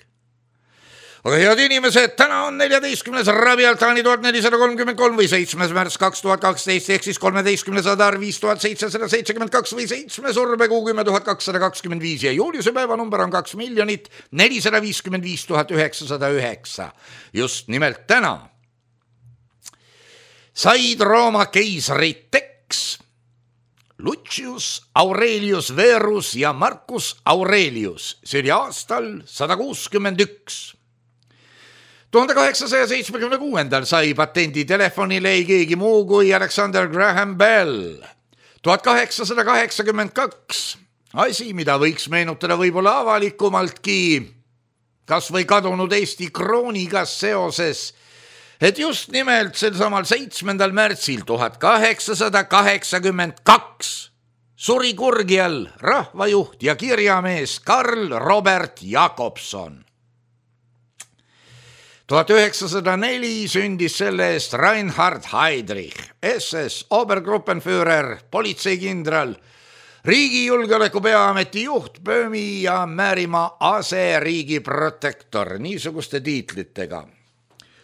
Aga head inimesed, täna on neljateistkümnes Rabialtani tuhat nelisada kolmkümmend kolm või seitsmes märts kaks tuhat kaksteist ehk siis kolmeteistkümnes Adar viis tuhat seitsesada seitsekümmend kaks või seitsmes Urbekuu kümme tuhat kakssada kakskümmend viis ja Juliuse päeva number on kaks miljonit nelisada viiskümmend viis tuhat üheksasada üheksa. Just nimelt täna said Rooma keisrid Tex, Lucius Aurelius Verus ja Marcus Aurelius. See oli aastal sada kuuskümmend üks. tuhande kaheksasaja seitsmekümne kuuendal sai patendi telefonile ei keegi muu kui Alexander Graham Bell. tuhat kaheksasada kaheksakümmend kaks. Asi, mida võiks meenutada võib-olla avalikumaltki, kas või kadunud Eesti krooniga seoses, et just nimelt sel samal seitsmendal märtsil tuhat kaheksasada kaheksakümmend kaks suri kurgi all rahvajuht ja kirjamees Karl Robert Jakobson. tuhat üheksasada neli sündis selle eest Reinhard Heydrich, S S Obergruppenführer, politseikindral, riigijulgeoleku peaameti juht, Böömi ja Määrimaa aseriigi protektor, niisuguste tiitlitega.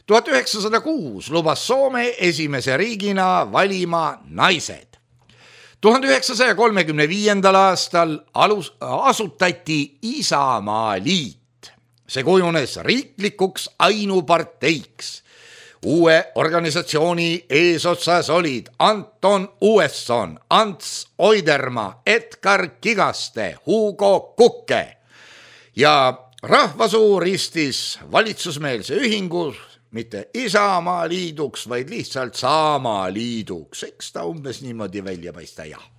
tuhat üheksasada kuus lubas Soome esimese riigina valima naised. tuhande üheksasaja kolmekümne viiendal aastal alus, asutati Isamaa liit. See kujunes riiklikuks ainuparteiks. Uue organisatsiooni eesotsas olid Anton Uesson, Ants Oidermaa, Edgar Kigaste, Hugo Kukke ja rahvasuu ristis valitsusmeelse ühingu mitte Isamaa liiduks, vaid lihtsalt Saamaa liiduks. Eks ta umbes niimoodi välja paista, jah.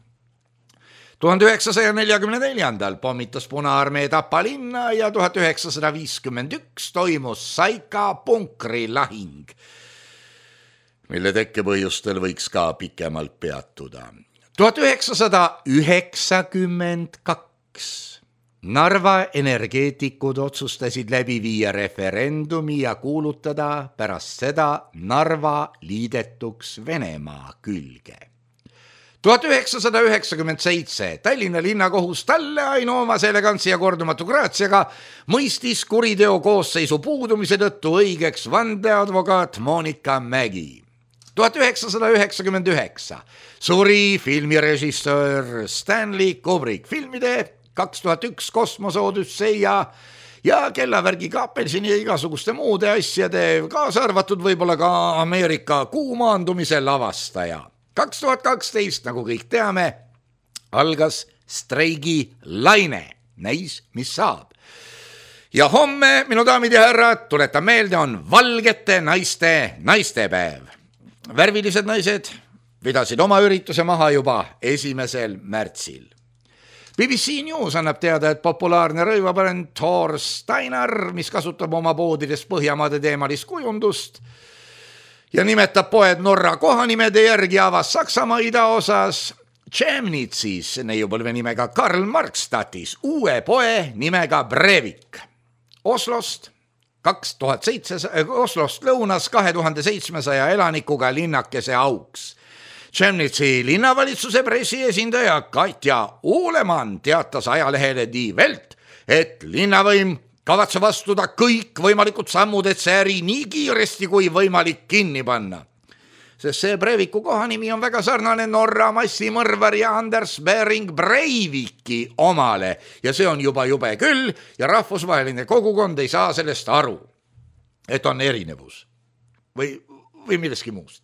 tuhande üheksasaja neljakümne neljandal pommitas Punaarmee Tapa linna ja tuhat üheksasada viiskümmend üks toimus Saika punkri lahing, mille tekkepõhjustel võiks ka pikemalt peatuda. tuhat üheksasada üheksakümmend kaks Narva energeetikud otsustasid läbi viia referendumi ja kuulutada pärast seda Narva liidetuks Venemaa külge. tuhat üheksasada üheksakümmend seitse Tallinna linnakohus talle ainuomase elegantsi ja kordumatu graatsiaga mõistis kuriteo koosseisu puudumise tõttu õigeks vandeadvokaat Monika Mägi. tuhat üheksasada üheksakümmend üheksa suri filmirežissöör Stanley Kubrick. Filmide kaks tuhat üks Kosmose Odüsseia ja Kellavärgi kaapelsini ja igasuguste muude asjade, kaasa arvatud võib-olla ka Ameerika kuumaandumise lavastaja. kaks tuhat kaksteist, nagu kõik teame, algas streigi laine. Näis, mis saab. Ja homme, minu daamid ja härrad, tuletan meelde, on valgete naiste naistepäev. Värvilised naised pidasid oma ürituse maha juba esimesel märtsil. B B C News annab teada, et populaarne rõivabrand Thor Steiner, mis kasutab oma poodides Põhjamaade teemalist kujundust ja nimetab poed Norra kohanimede järgi, avas Saksamaa idaosas Chemnitzis neiupõlve nimega Karl Marxstadtis uue poe nimega Breivik. Oslost kaks tuhat seitse, Oslost lõunas kahe tuhande seitsmesaja elanikuga linnakese auks. Chemnitzi linnavalitsuse pressiesindaja Katja Uulemann teatas ajalehele Die Welt, et linnavõim kavatseb astuda kõik võimalikud sammud, et see äri nii kiiresti kui võimalik kinni panna. Sest see Breiviku kohanimi on väga sarnane Norra massimõrvari Anders Behring Breiviki omale ja see on juba jube küll ja rahvusvaheline kogukond ei saa sellest aru, et on erinevus või, või milleski muust.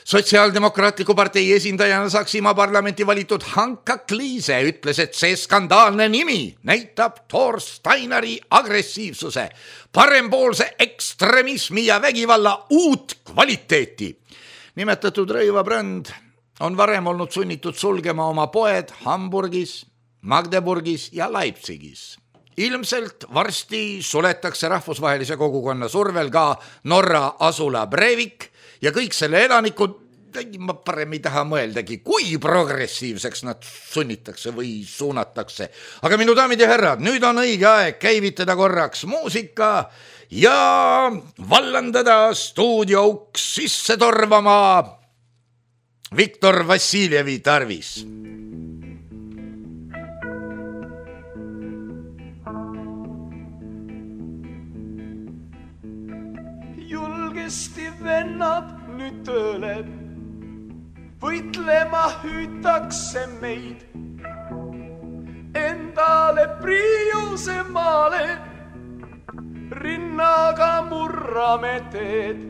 Sotsiaaldemokraatliku partei esindajana Saksimaa parlamenti valitud Hanka Kliise ütles, et see skandaalne nimi näitab Thor Steineri agressiivsuse, parempoolse ekstremismi ja vägivalla uut kvaliteeti. Nimetatud rõivabränd on varem olnud sunnitud sulgema oma poed Hamburgis, Magdeburgis ja Leipzigis. Ilmselt varsti suletakse rahvusvahelise kogukonna survel ka Norra asula Breivik ja kõik selle elanikud, ma parem ei taha mõeldagi, kui progressiivseks nad sunnitakse või suunatakse. Aga minu daamid ja härrad, nüüd on õige aeg käivitada korraks muusika ja vallandada stuudio uks sisse torvama Viktor Vassiljevi tarvis. Julgesti vennad nüüd tööle, võitlema hüütakse meid. Endale priiuse maale, rinnaga murrame teed.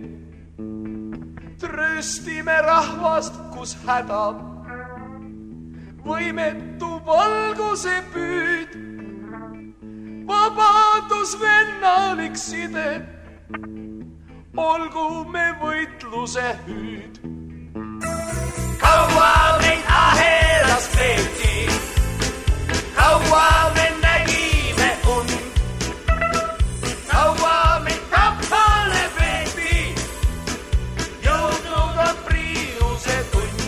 Tröstime rahvast, kus häda, võimetu valguse püüd. Vabadus vennalik side, olgu me võitluse hüüd. Kaua meid ahelas peeti, kaua me nägime und, kaua meid kappale peeti, jõudnud on priiuse tund,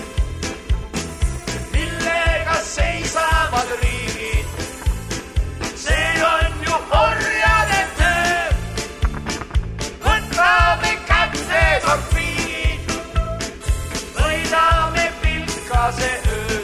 millega seisavad riigid. See on ju orjade töö, võtame kätte torpiid, võidame pilkase öö.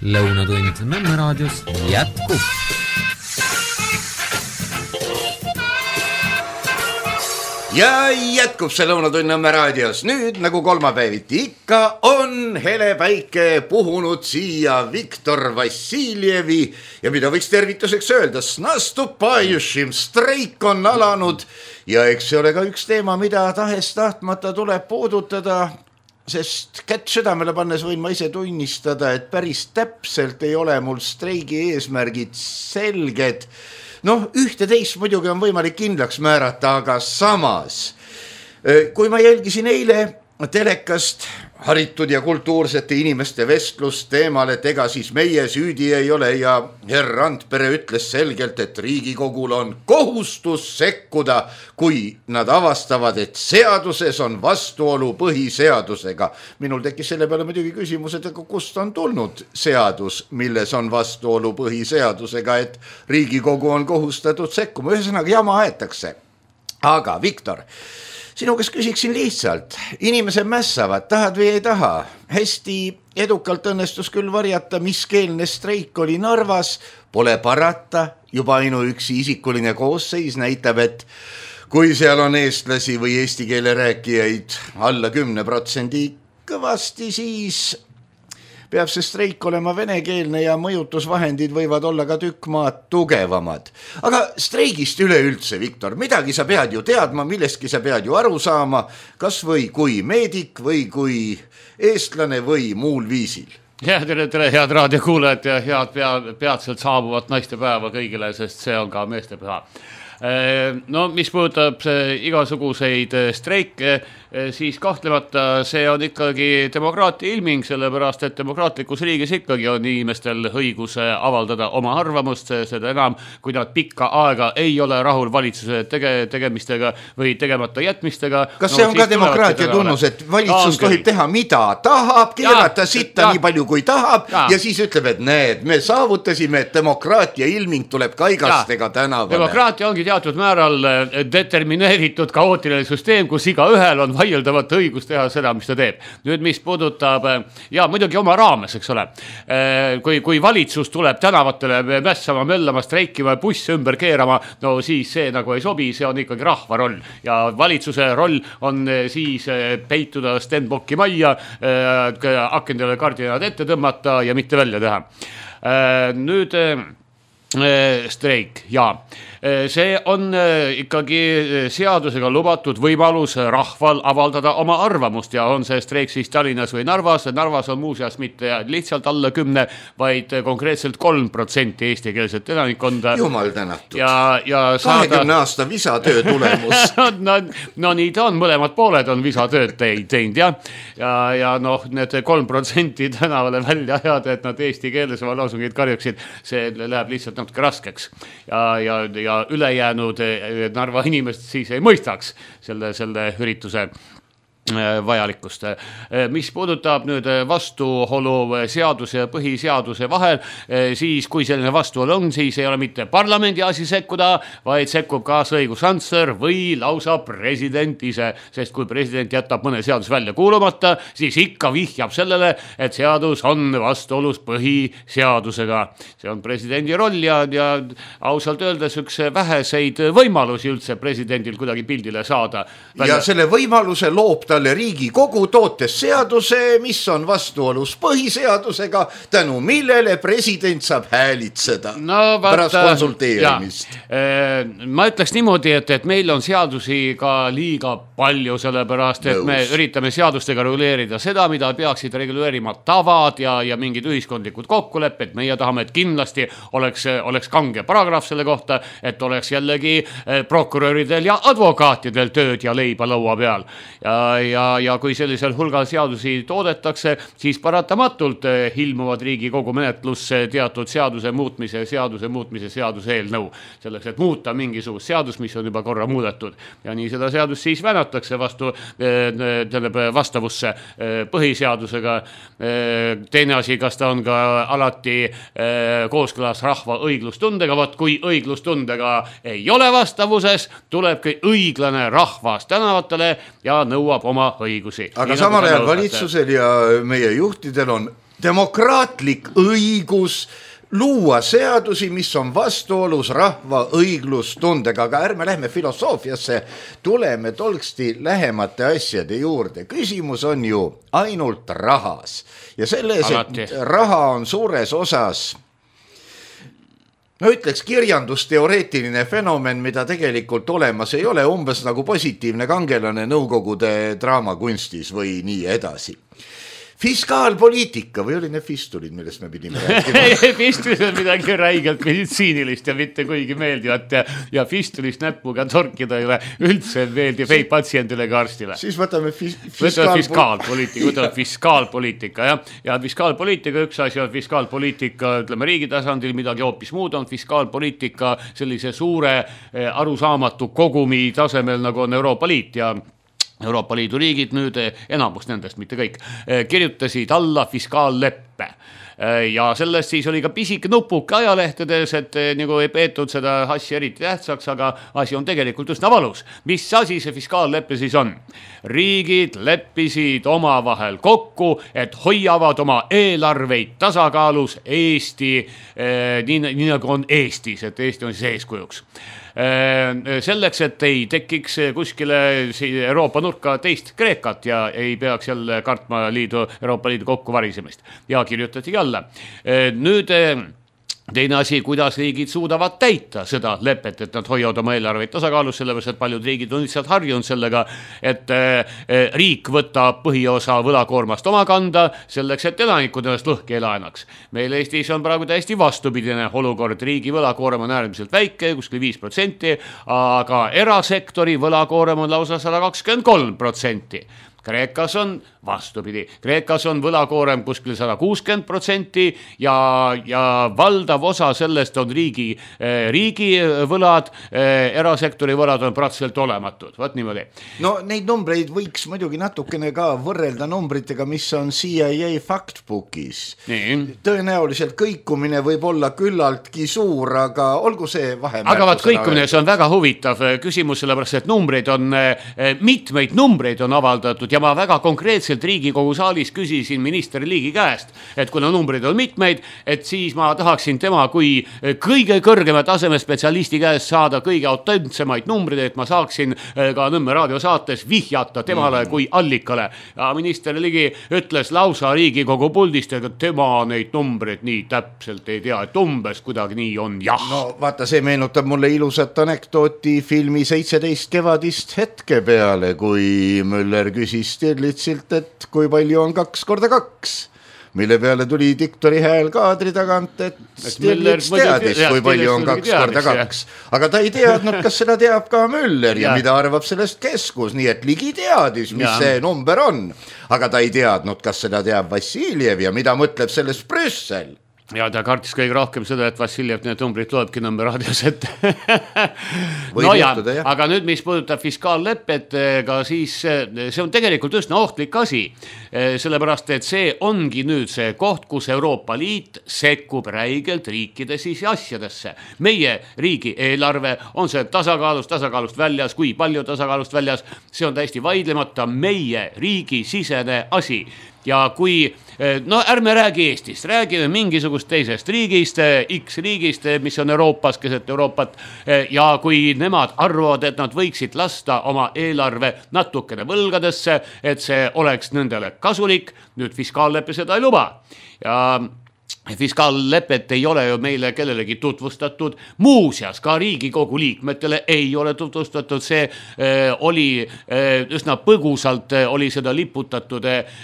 Lõunatund Nõmme raadios jätkub. Ja jätkub see Lõunatund Nõmme raadios. Nüüd nagu kolmapäeviti ikka on hele päike puhunud siia Viktor Vassiljevi ja mida võiks tervituseks öelda, snastupajušim, streik on alanud ja eks see ole ka üks teema, mida tahes tahtmata tuleb puudutada. Sest kätt südamele pannes võin ma ise tunnistada, et päris täpselt ei ole mul streigi eesmärgid selged. Noh, ühte teist muidugi on võimalik kindlaks määrata, aga samas. Kui ma jälgisin eile telekast haritud ja kultuursete inimeste vestlust teemal, et ega siis meie süüdi ei ole ja herr Randpere ütles selgelt, et Riigikogul on kohustus sekkuda, kui nad avastavad, et seaduses on vastuolu põhiseadusega. Minul tekkis selle peale muidugi küsimus, et kust on tulnud seadus, milles on vastuolu põhiseadusega, et Riigikogu on kohustatud sekkuma. Ühesõnaga jama aetakse. Aga Viktor, sinu kes küsiksin lihtsalt, inimesed mässavad, tahad või ei taha. Hästi edukalt õnnestus küll varjata, mis keelne streik oli Narvas, pole parata, juba ainuüksi isikuline koosseis näitab, et kui seal on eestlasi või eesti keele rääkijaid alla kümne protsendi kõvasti, siis peab see streik olema venekeelne ja mõjutusvahendid võivad olla ka tükk maad tugevamad. Aga streigist üleüldse, Viktor, midagi sa pead ju teadma, millestki sa pead ju aru saama, kas või kui meedik või kui eestlane või muul viisil. Ja, tere, tere, head raadiokuulajad ja head pea, peatselt saabuvat naistepäeva kõigile, sest see on ka meestepüha. No, mis puudutab igasuguseid streike, siis kahtlemata see on ikkagi demokraatia ilming, sellepärast, et demokraatlikus riigis ikkagi on inimestel õigus avaldada oma arvamust, seda enam, kui nad pikka aega ei ole rahul valitsuse tege, tegemistega või tegemata jätmistega. Kas see no, on ka demokraatia tunnus, et valitsus tohib teha mida tahab, keerata sitta nii palju kui tahab ja. ja siis ütleb, et need, me saavutasime, et demokraatia ilming tuleb kaigastega tänavale. Demokraatia ongi teatud määral determineeritud kaootiline süsteem, kus iga ühel on vaieldavat õigus teha seda, mis ta teeb. Nüüd, mis puudutab, ja muidugi oma raames, eks ole, kui, kui valitsus tuleb tänavatele mässama, möllama, streikima ja buss ümber keerama, no siis see nagu ei sobi, see on ikkagi rahva roll. Ja valitsuse roll on siis peituda Stenbocki majja, akendele kardinad ette tõmmata ja mitte välja teha. Nüüd streik, jaa. See on ikkagi seadusega lubatud võimalus rahval avaldada oma arvamust ja on see streik siis Tallinnas või Narvas. Narvas on muuseas mitte lihtsalt alla kümne, vaid konkreetselt kolm protsenti eestikeelset elanikkonda. Jumal tänatud. Ja, ja saada... kahekümne aasta visatöö tulemus. no, no nii ta on, mõlemad pooled on visatööd teinud ja, ja, ja noh, need kolm protsenti tänavale välja ajada, et nad eesti keeles oma lausungid karjuksid, see läheb lihtsalt natuke raskeks ja, ja, ja ülejäänud Narva inimest siis ei mõistaks selle, selle ürituse vajalikkust. Mis puudutab nüüd vastuolu seaduse ja põhiseaduse vahel, siis kui selline vastuolu on, siis ei ole mitte parlamendi asi sekkuda, vaid sekkub kaasõiguskantsler või lausa president ise, sest kui president jätab mõne seadus välja kuulumata, siis ikka vihjab sellele, et seadus on vastuolus põhiseadusega. See on presidendi roll ja, ja ausalt öeldes üks väheseid võimalusi üldse presidendil kuidagi pildile saada. Ja selle võimaluse loob ta Riigikogu tootes seaduse, mis on vastuolus põhiseadusega, tänu millele president saab häälitseda no, pärast konsulteerimist. Ja, ma ütleks niimoodi, et, et meil on seadusi ka liiga palju, sellepärast, et Nõus. Me üritame seadustega reguleerida seda, mida peaksid reguleerima tavad ja, ja mingid ühiskondlikud kokkulepped. Meie tahame, et kindlasti oleks, oleks kange paragrahv selle kohta, et oleks jällegi prokuröridel ja advokaatidel tööd ja leiba laua peal. Ja Ja, ja kui sellisel hulgal seadusi toodetakse, siis paratamatult ilmuvad Riigikogu menetlusse teatud seaduse muutmise, seaduse muutmise seaduse eelnõu. Selleks, et muuta mingisugust seadus, mis on juba korra muudetud. Ja nii seda seadust siis vänatakse vastu, vastavusse põhiseadusega. Teine asi, kas ta on ka alati kooskõlas rahva õiglustundega. Vaat kui õiglustundega ei ole vastavuses, tulebki õiglane rahvas tänavatele ja nõuab oma õigusi. Aga nii samal ajal valitsusel ja meie juhtidel on demokraatlik õigus luua seadusi, mis on vastuolus rahva õiglustundega, aga ärme lähme filosoofiasse, tuleme tolksti lähemate asjade juurde. Küsimus on ju ainult rahas ja selles, et raha on suures osas ma ütleks kirjandusteoreetiline fenomen, mida tegelikult olemas ei ole, umbes nagu positiivne kangelane nõukogude draamakunstis või nii edasi. Fiskaalpoliitika või oli need fistulid, millest me pidime rääkima? Fistulid on midagi räigelt meditsiinilist ja mitte kuigi meeldivat ja, ja fistulist näpuga torkida ei ole üldse meeldib ei patsiendile ega arstile. Siis võtame fis- fiskaal... fiskaalpoliitika, võtame fiskaalpoliitika ja, ja fiskaalpoliitika, üks asi on fiskaalpoliitika, ütleme riigi tasandil, midagi hoopis muud on fiskaalpoliitika sellise suure arusaamatu kogumi tasemel, nagu on Euroopa Liit ja Euroopa Liidu riigid nüüd, enamus nendest, mitte kõik, kirjutasid alla fiskaalleppe. Ja sellest siis oli ka pisik nupuke ajalehtedes, et nagu ei peetud seda asja eriti tähtsaks, aga asi on tegelikult üsna valus. Mis asi see fiskaalleppe siis on? Riigid leppisid omavahel kokku, et hoiavad oma eelarveid tasakaalus Eesti, nii, nii nagu on Eestis, et Eesti on siis eeskujuks. Selleks, et ei tekiks kuskile Euroopa nurka teist Kreekat ja ei peaks jälle kartma liidu, Euroopa Liidu kokku varisemist. Ja kirjutatigi alla. Nüüd Teine asi, kuidas riigid suudavad täita seda lepet, et nad hoiavad oma eelarveid tasakaalus, sellepärast, et paljud riigid on lihtsalt harjunud sellega, et riik võtab põhiosa võlakoormast oma kanda selleks, et elanikud ennast lõhki ei laenaks. Meil Eestis on praegu täiesti vastupidine olukord, riigi võlakoorem on äärmiselt väike, kuskil viis protsenti, aga erasektori võlakoorem on lausa sada kakskümmend kolm protsenti. Kreekas on vastupidi. Kreekas on võlakoorem kuskil sada kuuskümmend protsenti ja, ja valdav osa sellest on riigi, riigi võlad, erasektori võlad on praktiliselt olematud. Vaat niimoodi. No neid numbreid võiks muidugi natukene ka võrrelda numbritega, mis on C I A factbookis. Nii. Tõenäoliselt kõikumine võib olla küllaltki suur, aga olgu see vahemärkusena. Aga vaat kõikumine, see on väga huvitav küsimus, sellepärast, et numbreid on, mitmeid numbreid on avaldatud ja ma väga konkreetselt Riigikogu saalis küsisin minister Liigi käest, et kuna numbrid on mitmeid, et siis ma tahaksin tema kui kõige kõrgema taseme spetsialisti käest saada kõige autentsemaid numbrid, et ma saaksin ka Nõmme raadio saates vihjata temale mm. kui allikale. Ja minister Ligi ütles lausa Riigikogu puldist, et tema neid numbreid nii täpselt ei tea, et umbes kuidagi nii on jah. No vaata, see meenutab mulle ilusat anekdooti filmi seitseteist kevadist hetke peale, kui Müller küsis Stirlitsilt, et kui palju on kaks korda kaks, mille peale tuli diktori hääl kaadri tagant, et Stirlits teadis, kui palju on kaks korda kaks. Aga ta ei teadnud, kas seda teab ka Müller ja mida arvab sellest keskus, nii et Ligi teadis, mis see number on. Aga ta ei teadnud, kas seda teab Vassiljev ja mida mõtleb sellest Brüssel. Ja ta kartis kõige rohkem seda, et Vassiljev need numbrid loebki Nõmme raadios ette. no ja, juhtuda, aga nüüd, mis puudutab fiskaallepet, ka siis see on tegelikult üsna ohtlik asi, sellepärast, et see ongi nüüd see koht, kus Euroopa Liit sekkub räigelt riikide siis asjadesse. Meie riigi eelarve on see tasakaalust, tasakaalust väljas, kui palju tasakaalust väljas, see on täiesti vaidlemata meie riigi sisene asi. Ja kui, no ärme räägi Eestist, räägime mingisugust teisest riigist, X riigist, mis on Euroopas, keset Euroopat, ja kui nemad arvavad, et nad võiksid lasta oma eelarve natukene võlgadesse, et see oleks nendele kasulik, nüüd fiskaallepe seda ei luba. Ja fiskaallepet ei ole ju meile kellelegi tutvustatud, muuseas ka Riigikogu liikmetele ei ole tutvustatud, see äh, oli äh, üsna põgusalt äh, oli seda liputatud äh,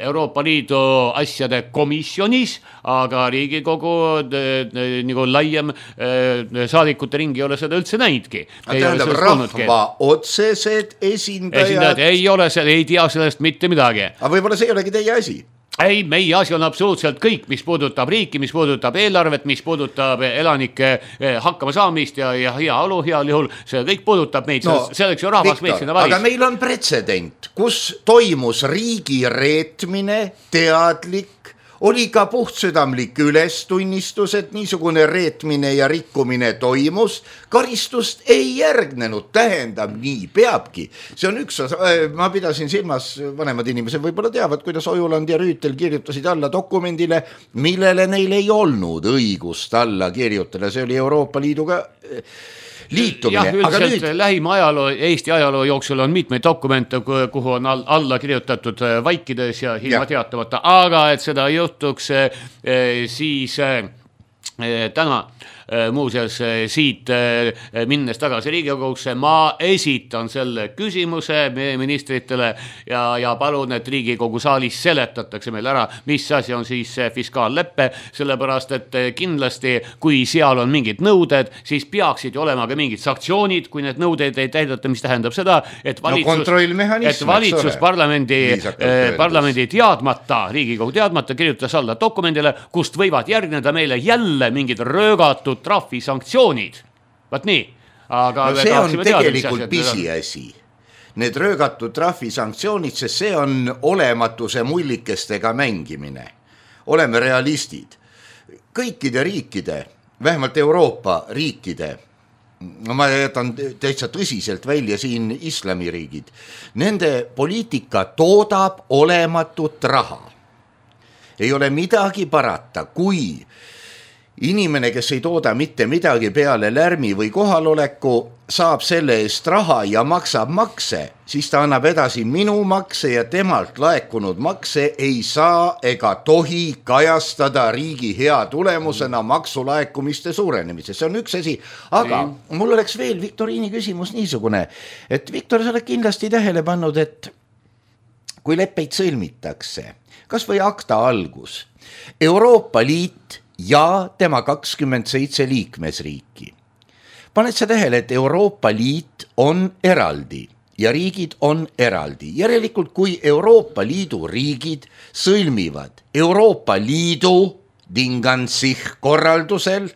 Euroopa Liidu asjade komisjonis, aga Riigikogu äh, nagu laiem äh, saadikute ringi ei ole seda üldse näidki. Tähendab, rahva otsesed esindajad. esindajad ei ole, ei tea sellest mitte midagi. Aga võib-olla see ei olegi teie asi? Ei, meie asi on absoluutselt kõik, mis puudutab riiki, mis puudutab eelarvet, mis puudutab elanike hakkama saamist ja, ja hea olu heal juhul, see kõik puudutab meid, no, selleks ju rahvas meid sinna valis. Aga meil on pretsedent, kus toimus riigi reetmine, teadlik, oli ka puhtsüdamlik ülestunnistus, et niisugune reetmine ja rikkumine toimus, karistust ei järgnenud, tähendab, nii peabki. See on üks osa, ma pidasin silmas, vanemad inimesed võib-olla teavad, kuidas Ojuland ja Rüütel kirjutasid alla dokumendile, millele neil ei olnud õigust alla kirjutada, see oli Euroopa Liiduga liitumine. Jah, üldiselt nüüd... lähima ajaloo, Eesti ajaloo jooksul on mitmeid dokumente, kuhu on alla kirjutatud vaikides ja ilma teatamata, aga et seda juhtuks, siis täna muuseas siit minnes tagasi Riigikogusse, ma esitan selle küsimuse meie ministritele ja, ja palun, et Riigikogu saalis seletatakse meil ära, mis asi on siis fiskaalleppe, sellepärast, et kindlasti, kui seal on mingid nõuded, siis peaksid olema ka mingid sanktsioonid, kui need nõudeid ei täidata, mis tähendab seda, et valitsus, no, et valitsus parlamendi, parlamendi teadmata, Riigikogu teadmata kirjutas alla dokumendile, kust võivad järgneda meile jälle mingid röögatud trahvi sanktsioonid. Vaat nii. Aga no see on tegelikult pisiasi. Need röögatud trahvi sanktsioonid, sest see on olematuse mullikestega mängimine. Oleme realistid. Kõikide riikide, vähemalt Euroopa riikide, no ma jätan täitsa tõsiselt välja siin islamiriigid, nende poliitika toodab olematut raha. Ei ole midagi parata, kui inimene, kes ei tooda mitte midagi peale lärmi või kohaloleku, saab selle eest raha ja maksab makse, siis ta annab edasi minu makse ja temalt laekunud makse ei saa ega tohi kajastada riigi hea tulemusena maksulaekumiste suurenemises. See on üks asi, aga mm. mul oleks veel Viktoriini küsimus niisugune, et Viktor, sa oled kindlasti tähele pannud, et kui leppeid sõlmitakse, kas või akta algus, Euroopa Liit ja tema kakskümmend seitse liikmesriiki. Paned sa tähele, et Euroopa Liit on eraldi ja riigid on eraldi. Järelikult, kui Euroopa Liidu riigid sõlmivad Euroopa Liidu Dingansich korraldusel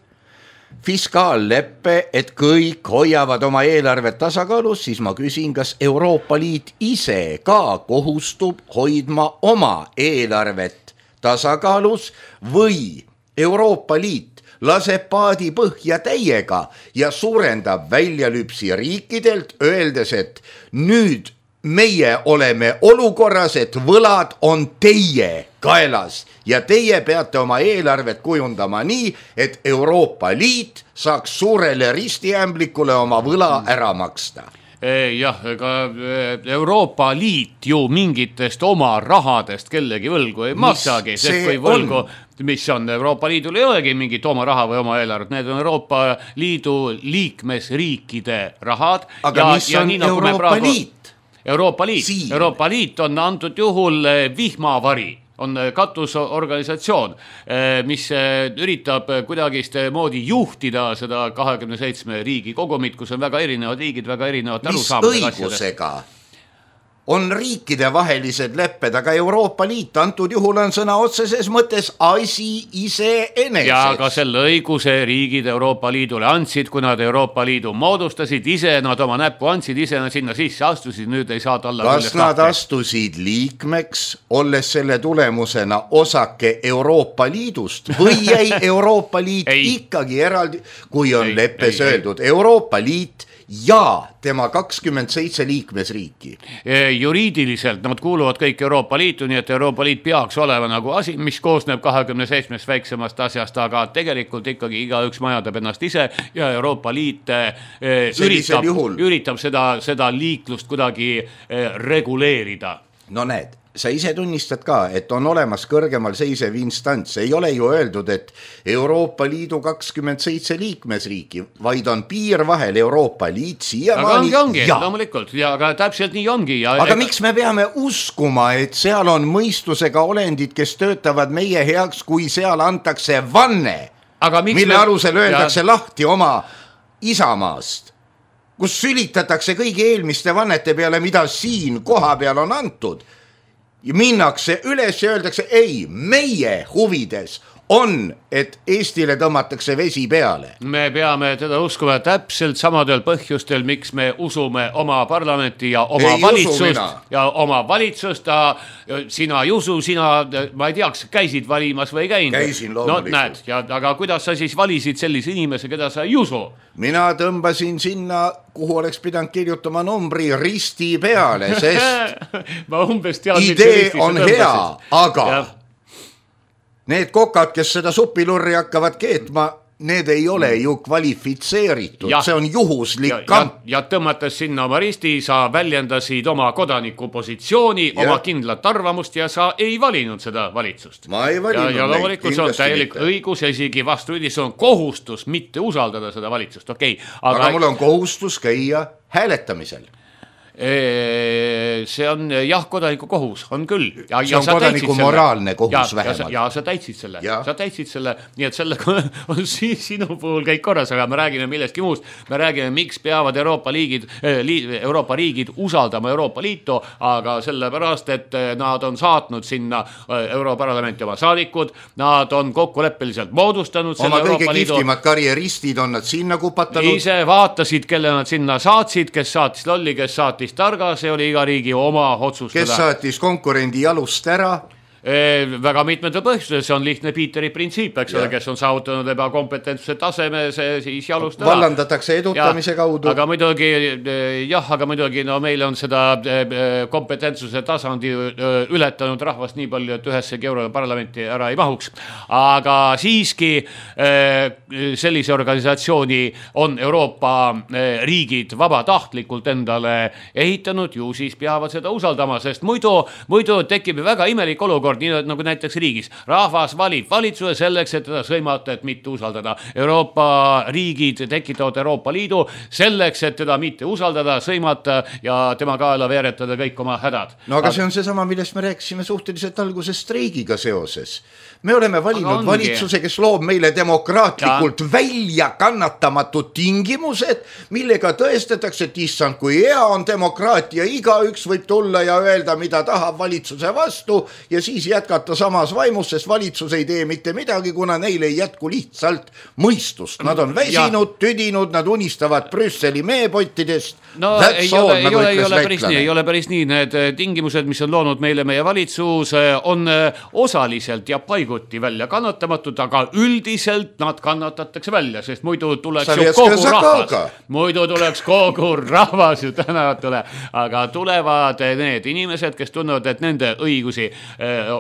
fiskaalleppe, et kõik hoiavad oma eelarvet tasakaalus, siis ma küsin, kas Euroopa Liit ise ka kohustub hoidma oma eelarvet tasakaalus või Euroopa Liit laseb paadi põhja täiega ja suurendab väljalüpsi riikidelt, öeldes, et nüüd meie oleme olukorras, et võlad on teie kaelas ja teie peate oma eelarvet kujundama nii, et Euroopa Liit saaks suurele ristiämblikule oma võla ära maksta. Jah, ega Euroopa Liit ju mingitest oma rahadest kellegi võlgu ei maksagi, sest kui võlgu, mis on Euroopa Liidul ei olegi mingit oma raha või oma eelarvet, need on Euroopa Liidu liikmesriikide rahad. Aga ja, mis on ja Euroopa praegu, Liit? Euroopa Liit, Siin. Euroopa Liit on antud juhul vihmavari. On katusorganisatsioon, mis üritab kuidagist moodi juhtida seda kahekümne seitsme riigi kogumit, kus on väga erinevad riigid, väga erinevad arusaamad. Mis õigusega on riikide vahelised lepped, aga Euroopa Liit antud juhul on sõna otseses mõttes asi ise eneses. Ja ka selle õiguse riigid Euroopa Liidule andsid, kui nad Euroopa Liidu moodustasid, ise nad oma näppu andsid, ise nad sinna sisse astusid, nüüd ei saa talla. Kas nad tahti. Astusid liikmeks, olles selle tulemusena osake Euroopa Liidust või jäi Euroopa Liit ikkagi eraldi, kui on ei, leppes ei, öeldud ei. Euroopa Liit ja tema kakskümmend seitse liikmesriiki. Juriidiliselt nad kuuluvad kõik Euroopa Liitu, nii et Euroopa Liit peaks olema nagu asi, mis koosneb kahekümne seitsmest väiksemast asjast, aga tegelikult ikkagi igaüks majadab ennast ise ja Euroopa Liit üritab, üritab seda, seda liiklust kuidagi reguleerida. No näed, sa ise tunnistad ka, et on olemas kõrgemal seisev instants. Ei ole ju öeldud, et Euroopa Liidu kakskümmend seitse liikmesriiki, vaid on piir vahel Euroopa Liit siia aga ongi, ongi, ja. loomulikult, ja aga täpselt nii ongi. Ja aga ega... miks me peame uskuma, et seal on mõistusega olendid, kes töötavad meie heaks, kui seal antakse vanne, mille me... alusel öeldakse ja... lahti oma isamaast, kus sülitatakse kõigi eelmiste vannete peale, mida siin koha peal on antud. Ja minnakse üles ja öeldakse, ei, meie huvides on, et Eestile tõmmatakse vesi peale. Me peame teda uskuma täpselt samadel põhjustel, miks me usume oma parlamenti ja oma ei valitsust ja oma valitsust. Sina ei usu, sina, ma ei teaks, käisid valimas või käinud? Käisin loomulikult. No näed, ja, aga kuidas sa siis valisid sellise inimese, keda sa ei usu? Mina tõmbasin sinna, kuhu oleks pidanud kirjutama numbri risti peale, sest ma umbes tean, idee on hea, aga ja. Need kokad, kes seda supilurri hakkavad keetma, need ei ole ju kvalifitseeritud, ja, see on juhuslik kamp. Ja, ja tõmmates sinna oma risti, sa väljendasid oma kodaniku positsiooni, ja. Oma kindlat arvamust ja sa ei valinud seda valitsust. Ma ei valinud. Ja, ja loomulikult see on täielik mitte. Õigus ja isegi vastupidi, see on kohustus mitte usaldada seda valitsust, okei. Okay. Aga... aga mul on kohustus käia hääletamisel. See on jah, kodaniku kohus, on küll. Ja, see on ja kodaniku moraalne kohus ja, vähemalt. Ja, ja sa täitsid selle, ja. sa täitsid selle, nii et sellega on sinu puhul kõik korras, aga me räägime millestki muust. Me räägime, miks peavad Euroopa, liigid, Euroopa riigid usaldama Euroopa Liitu, aga sellepärast, et nad on saatnud sinna Europarlamenti oma saadikud, nad on kokkuleppeliselt moodustanud oma selle Euroopa Liidu. Oma kõige kihvtimad karjeristid on nad sinna kupatanud. Ise vaatasid, kelle nad sinna saatsid, kes saatis lolli, kes saatis targa, see oli iga riigi oma otsustada. Kes saatis konkurendi jalust ära? Väga mitmete põhjustel, see on lihtne Piiteri printsiip, eks ole, kes on saavutanud ebakompetentsuse taseme, see siis jalust ära. Vallandatakse edutamise ja, kaudu. Aga muidugi, jah, aga muidugi no meil on seda kompetentsuse tasandi ületanud rahvast nii palju, et ühessegi euro parlamenti ära ei mahuks. Aga siiski sellise organisatsiooni on Euroopa riigid vabatahtlikult endale ehitanud, ju siis peavad seda usaldama, sest muidu, muidu tekib väga imelik olukord, nii nagu näiteks riigis. Rahvas valib valitsuse selleks, et teda sõimata, et mitte usaldada. Euroopa riigid tekitavad Euroopa Liidu selleks, et teda mitte usaldada, sõimata ja tema kaela veeretada kõik oma hädad. No aga see on seesama, millest me rääkisime suhteliselt alguses streigiga seoses. Me oleme valinud valitsuse, kes loob meile demokraatlikult ja. välja kannatamatud tingimused, millega tõestatakse, et issand, kui hea on demokraatia, igaüks võib tulla ja öelda, mida tahab valitsuse vastu ja siis jätkata samas vaimus, sest valitsus ei tee mitte midagi, kuna neil ei jätku lihtsalt mõistust. Nad on väsinud, ja. tüdinud, nad unistavad Brüsseli meepottidest. No That's ei ole, all, ei, ole, ei, ole päris nii, ei ole päris nii. Need tingimused, mis on loonud meile meie valitsus, on osaliselt ja paiguti välja kannatamatud, aga üldiselt nad kannatatakse välja, sest muidu tuleks ju kogu rahvas. Muidu tuleks kogu rahvas ju tänatule, aga tulevad need inimesed, kes tunnevad, et nende õigusi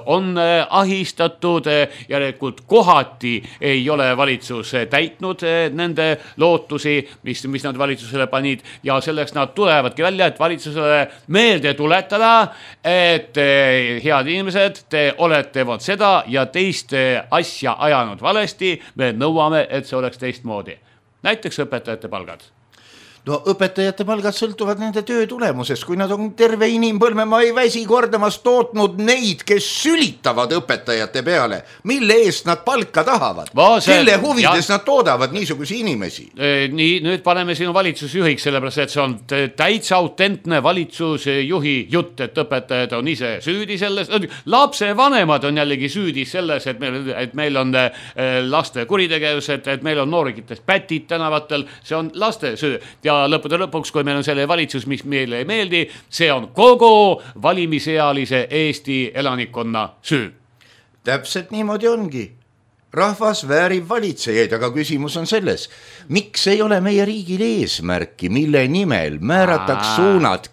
on ahistatud, järelikult kohati ei ole valitsus täitnud nende lootusi, mis, mis nad valitsusele panid ja selleks nad tulevadki välja, et valitsusele meelde tuletada, et head inimesed, te olete vot seda ja teist asja ajanud valesti, me nõuame, et see oleks teistmoodi. Näiteks õpetajate palgad. No õpetajate palgad sõltuvad nende töö tulemusest, kui nad on terve inimpõlve, ma ei väsi kordamast tootnud neid, kes sülitavad õpetajate peale, mille eest nad palka tahavad, kelle huvides ja. nad toodavad niisugusi inimesi. Nii, nüüd paneme sinu valitsusjuhiks, sellepärast, et see on täitsa autentne valitsusjuhi jutt, et õpetajad on ise süüdi selles, lapse vanemad on jällegi süüdi selles, et meil, et meil on laste kuritegevus, et, et meil on noorikitest pätid tänavatel, see on laste süü ja lõppude lõpuks, kui meil on selle valitsus, mis meile ei meeldi, see on kogu valimisealise Eesti elanikkonna süü. Täpselt niimoodi ongi. Rahvas väärib valitsejaid, aga küsimus on selles, miks ei ole meie riigil eesmärki, mille nimel määrataks suunad,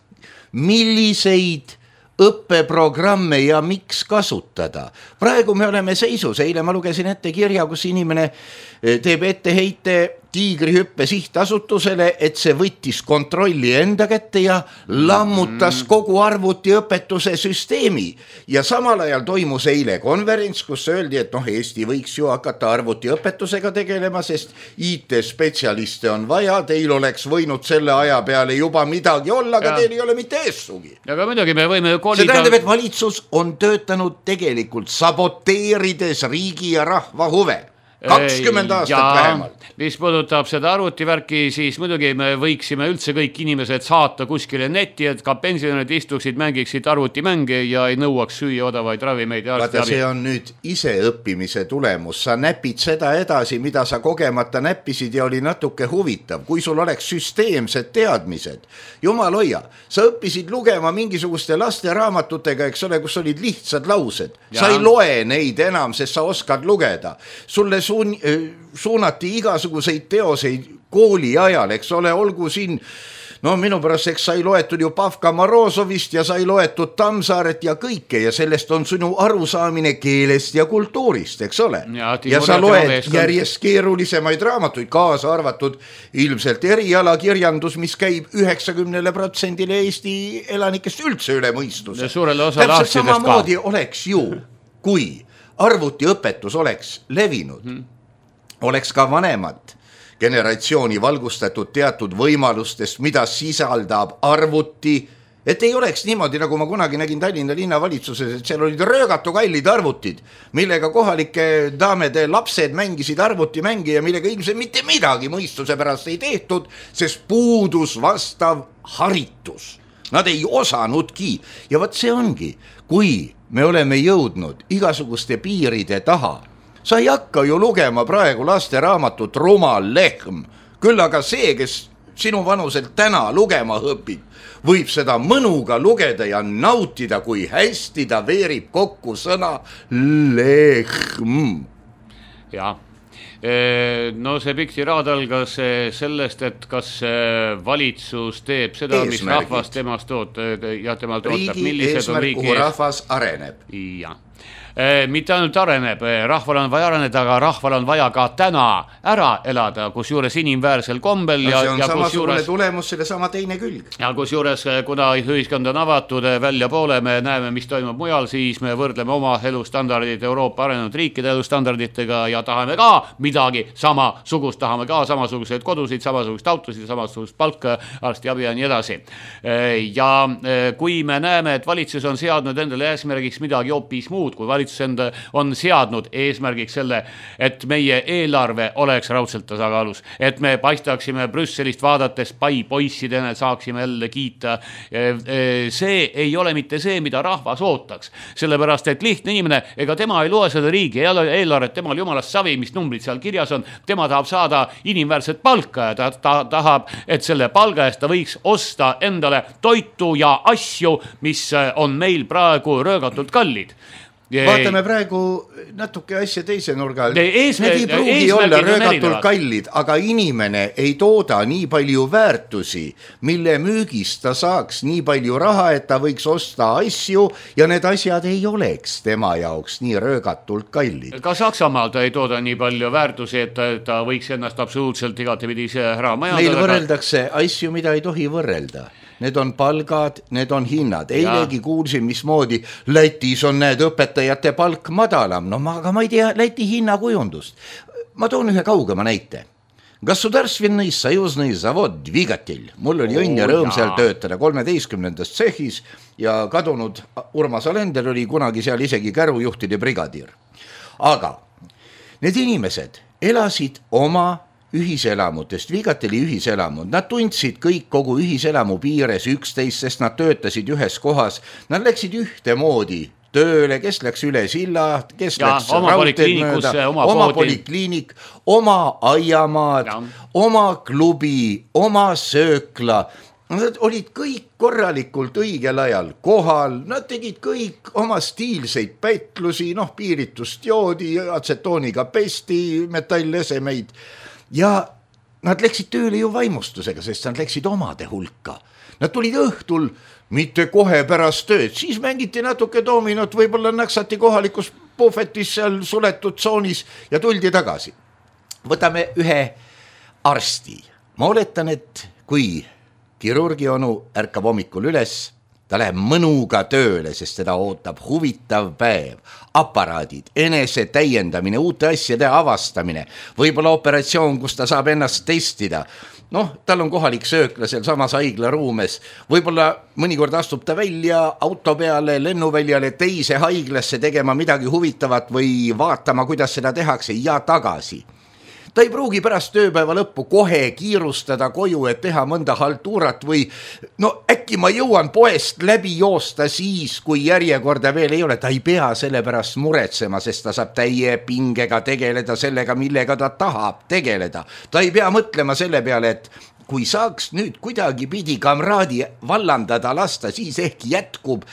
milliseid õppeprogramme ja miks kasutada. Praegu me oleme seisus, eile ma lugesin ette kirja, kus inimene teeb etteheite Tiigrihüppe sihtasutusele, et see võttis kontrolli enda kätte ja lammutas kogu arvutiõpetuse süsteemi. Ja samal ajal toimus eile konverents, kus öeldi, et noh, Eesti võiks ju hakata arvutiõpetusega tegelema, sest I T-spetsialiste on vaja, teil oleks võinud selle aja peale juba midagi olla, aga ja. teil ei ole mitte eessugi. Aga midagi me võime kolida... See tähendab, et valitsus on töötanud tegelikult saboteerides riigi ja rahva huve. kakskümmend aastat ja, vähemalt. Mis puudutab seda arvutivärki, siis muidugi me võiksime üldse kõik inimesed saata kuskile netti, et ka pensionärid istuksid, mängiksid arvutimänge ja ei nõuaks süüa odavaid ravimeid. Vaata, see on nüüd iseõppimise tulemus. Sa näpid seda edasi, mida sa kogemata näppisid ja oli natuke huvitav. Kui sul oleks süsteemsed teadmised, jumal hoia, sa õppisid lugema mingisuguste laste raamatutega, eks ole, kus olid lihtsad laused. Ja. Sa ei loe neid enam, sest sa oskad lugeda. Sulle suun, suunati igasuguseid teoseid kooli ajal, eks ole, olgu siin, no minu pärast, eks sai loetud ju Pavka Morozovist ja sai loetud Tammsaaret ja kõike ja sellest on sinu arusaamine keelest ja kultuurist, eks ole. Ja, ja sa loed järjest keerulisemaid raamatuid, kaasa arvatud ilmselt erialakirjandus, mis käib üheksakümnele protsendile Eesti elanikest üldse üle mõistuse. Täpselt samamoodi oleks ju, kui arvutiõpetus oleks levinud, hmm. oleks ka vanemad generatsiooni valgustatud teatud võimalustest, mida sisaldab arvuti, et ei oleks niimoodi, nagu ma kunagi nägin Tallinna linnavalitsuses, et seal olid röögatu kallid arvutid, millega kohalike daamede lapsed mängisid arvutimängi ja millega ilmselt mitte midagi mõistuse pärast ei tehtud, sest puudus vastav haritus. Nad ei osanudki ja võt see ongi, kui me oleme jõudnud igasuguste piiride taha. Sa ei hakka ju lugema praegu laste raamatut Rumal lehm, küll aga see, kes sinu vanuselt täna lugema õpib, võib seda mõnuga lugeda ja nautida, kui hästi ta veerib kokku sõna lehm. Jah. No see pikk tiraad algas sellest, et kas valitsus teeb seda, mis rahvas temast ootab ja temalt ootab. Riigi eesmärk, kuhu rahvas areneb. Ja. Mitte ainult areneb, rahval on vaja areneda, aga rahval on vaja ka täna ära elada, kus juures inimväärsel kombel. No, ja, see on ja samasugune juures, tulemus, selle sama teine külg. Ja kus juures, kuna ühiskond on avatud välja poole, me näeme, mis toimub mujal, siis me võrdleme oma elustandardid Euroopa arenenud riikide elustandarditega ja tahame ka midagi samasugust, tahame ka samasuguseid kodusid, samasugust autosid, samasugust palka, arstiabi ja nii edasi. Ja kui me näeme, et valitsus on seadnud endale eesmärgiks midagi hoopis muud, kui valitsus enda on seadnud eesmärgiks selle, et meie eelarve oleks raudselt tasakaalus, et me paistaksime Brüsselist vaadates pai poissidena, saaksime jälle kiita. See ei ole mitte see, mida rahvas ootaks, sellepärast, et lihtne inimene, ega tema ei loe seda riigi eelarvet, temal jumalast savi, mis numbrid seal kirjas on, tema tahab saada inimväärset palka ja ta, ta tahab, et selle palga eest ta võiks osta endale toitu ja asju, mis on meil praegu röögatult kallid. Vaatame praegu natuke asja teise nurga. Ees, Need ei pruugi olla röögatult kallid, aga inimene ei tooda nii palju väärtusi, mille müügist ta saaks nii palju raha, et ta võiks osta asju ja need asjad ei oleks tema jaoks nii röögatult kallid. Ka Saksamaal ta ei tooda nii palju väärtusi, et ta, ta võiks ennast absoluutselt igatepidise ära majandada. Meil võrreldakse asju, mida ei tohi võrrelda. Need on palgad, need on hinnad. Eilegi kuulsin, mismoodi Lätis on need õpetajate palk madalam. No ma, aga ma ei tea Läti hinnakujundust. Ma toon ühe kaugema näite. Gasudarstvennõi sajusnõi zavod Dvigatelь. Mul oli õnn ja rõõm seal töötada kolmeteistkümnendas tsehhis ja kadunud Urmas Alender oli kunagi seal isegi kärujuhtide brigadiir. Aga need inimesed elasid oma ühiselamutest, Vigateli ühiselamud. Nad tundsid kõik kogu ühiselamu piires üksteist, sest nad töötasid ühes kohas. Nad läksid ühte moodi tööle, kes läks üle silla, kes ja, läks raudteed mööda, oma, oma polikliinik, oma aiamaad, ja. Oma klubi, oma söökla. Nad olid kõik korralikult õigel ajal kohal, nad tegid kõik oma stiilseid pätlusi, noh, piiritust joodi, atsetooniga pesti, metallesemeid. Ja nad läksid tööle ju vaimustusega, sest nad läksid omade hulka. Nad tulid õhtul, mitte kohe pärast tööd, siis mängiti natuke dominot, võib-olla naksati kohalikus puhvetis seal suletud tsoonis ja tuldi tagasi. Võtame ühe arsti. Ma oletan, et kui kirurgi onu ärkab hommikul üles, ta läheb mõnuga tööle, sest teda ootab huvitav päev. Aparaadid, enese täiendamine, uute asjade avastamine, võib-olla operatsioon, kus ta saab ennast testida. Noh, tal on kohalik söökla seal samas haigla ruumes. Võib-olla mõnikord astub ta välja auto peale, lennuväljale teise haiglasse tegema midagi huvitavat või vaatama, kuidas seda tehakse ja tagasi. Ta ei pruugi pärast tööpäeva lõppu kohe kiirustada koju, et teha mõnda haltuurat või no äkki ma jõuan poest läbi joosta siis, kui järjekorda veel ei ole. Ta ei pea selle pärast muretsema, sest ta saab täie pingega tegeleda sellega, millega ta tahab tegeleda. Ta ei pea mõtlema selle peale, et kui saaks nüüd kuidagi pidi kamraadi vallandada lasta, siis ehk jätkub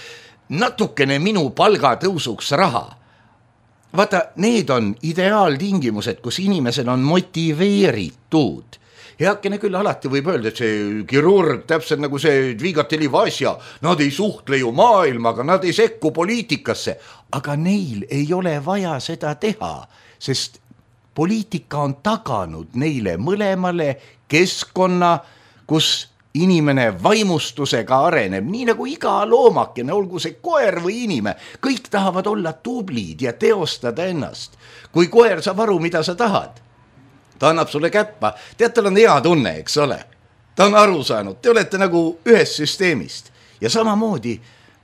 natukene minu palgatõusuks raha. Vaata, need on ideaaltingimused, kus inimesed on motiveeritud. Heakene küll alati võib öelda, et see kirurg, täpselt nagu see Dvigateli Vasja, nad ei suhtle ju maailmaga, nad ei sekku poliitikasse, aga neil ei ole vaja seda teha, sest poliitika on taganud neile mõlemale keskkonna, kus inimene vaimustusega areneb, nii nagu iga loomakene, olgu see koer või inime, kõik tahavad olla tublid ja teostada ennast. Kui koer saab aru, mida sa tahad, ta annab sulle käppa, tead, tal on hea tunne, eks ole. Ta on aru saanud, te olete nagu ühes süsteemist ja samamoodi,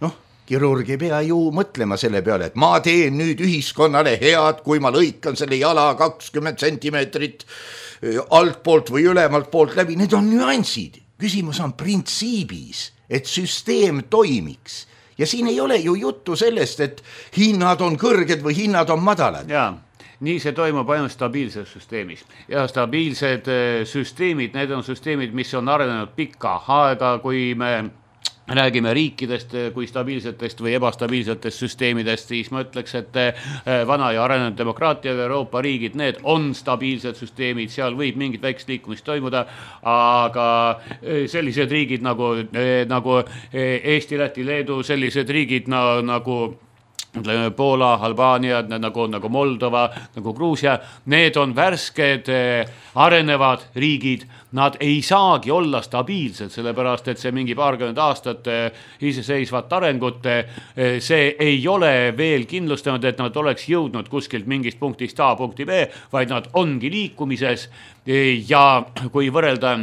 noh, kirurg ei pea ju mõtlema selle peale, et ma teen nüüd ühiskonnale head, kui ma lõikan selle jala kakskümmend sentimeetrit altpoolt või ülemalt poolt läbi, need on nüansid. Küsimus on printsiibis, et süsteem toimiks. Ja siin ei ole ju juttu sellest, et hinnad on kõrged või hinnad on madalad. Jaa. nii see toimub ainult stabiilses süsteemis ja stabiilsed süsteemid, need on süsteemid, mis on arenenud pikka aega, kui me räägime riikidest kui stabiilsetest või ebastabiilsetest süsteemidest, siis ma ütleks, et vana ja arenenud demokraatia Euroopa riigid, need on stabiilsed süsteemid, seal võib mingit väikest liikumist toimuda, aga sellised riigid nagu, nagu Eesti, Läti, Leedu, sellised riigid na, nagu Poola, Albaania, nagu, nagu Moldova, nagu Gruusia, need on värsked arenevad riigid, nad ei saagi olla stabiilsed, sellepärast, et see mingi paarkümmend aastat iseseisvat arengut, see ei ole veel kindlustanud, et nad oleks jõudnud kuskilt mingist punktist A punkti B, vaid nad ongi liikumises ja kui võrrelda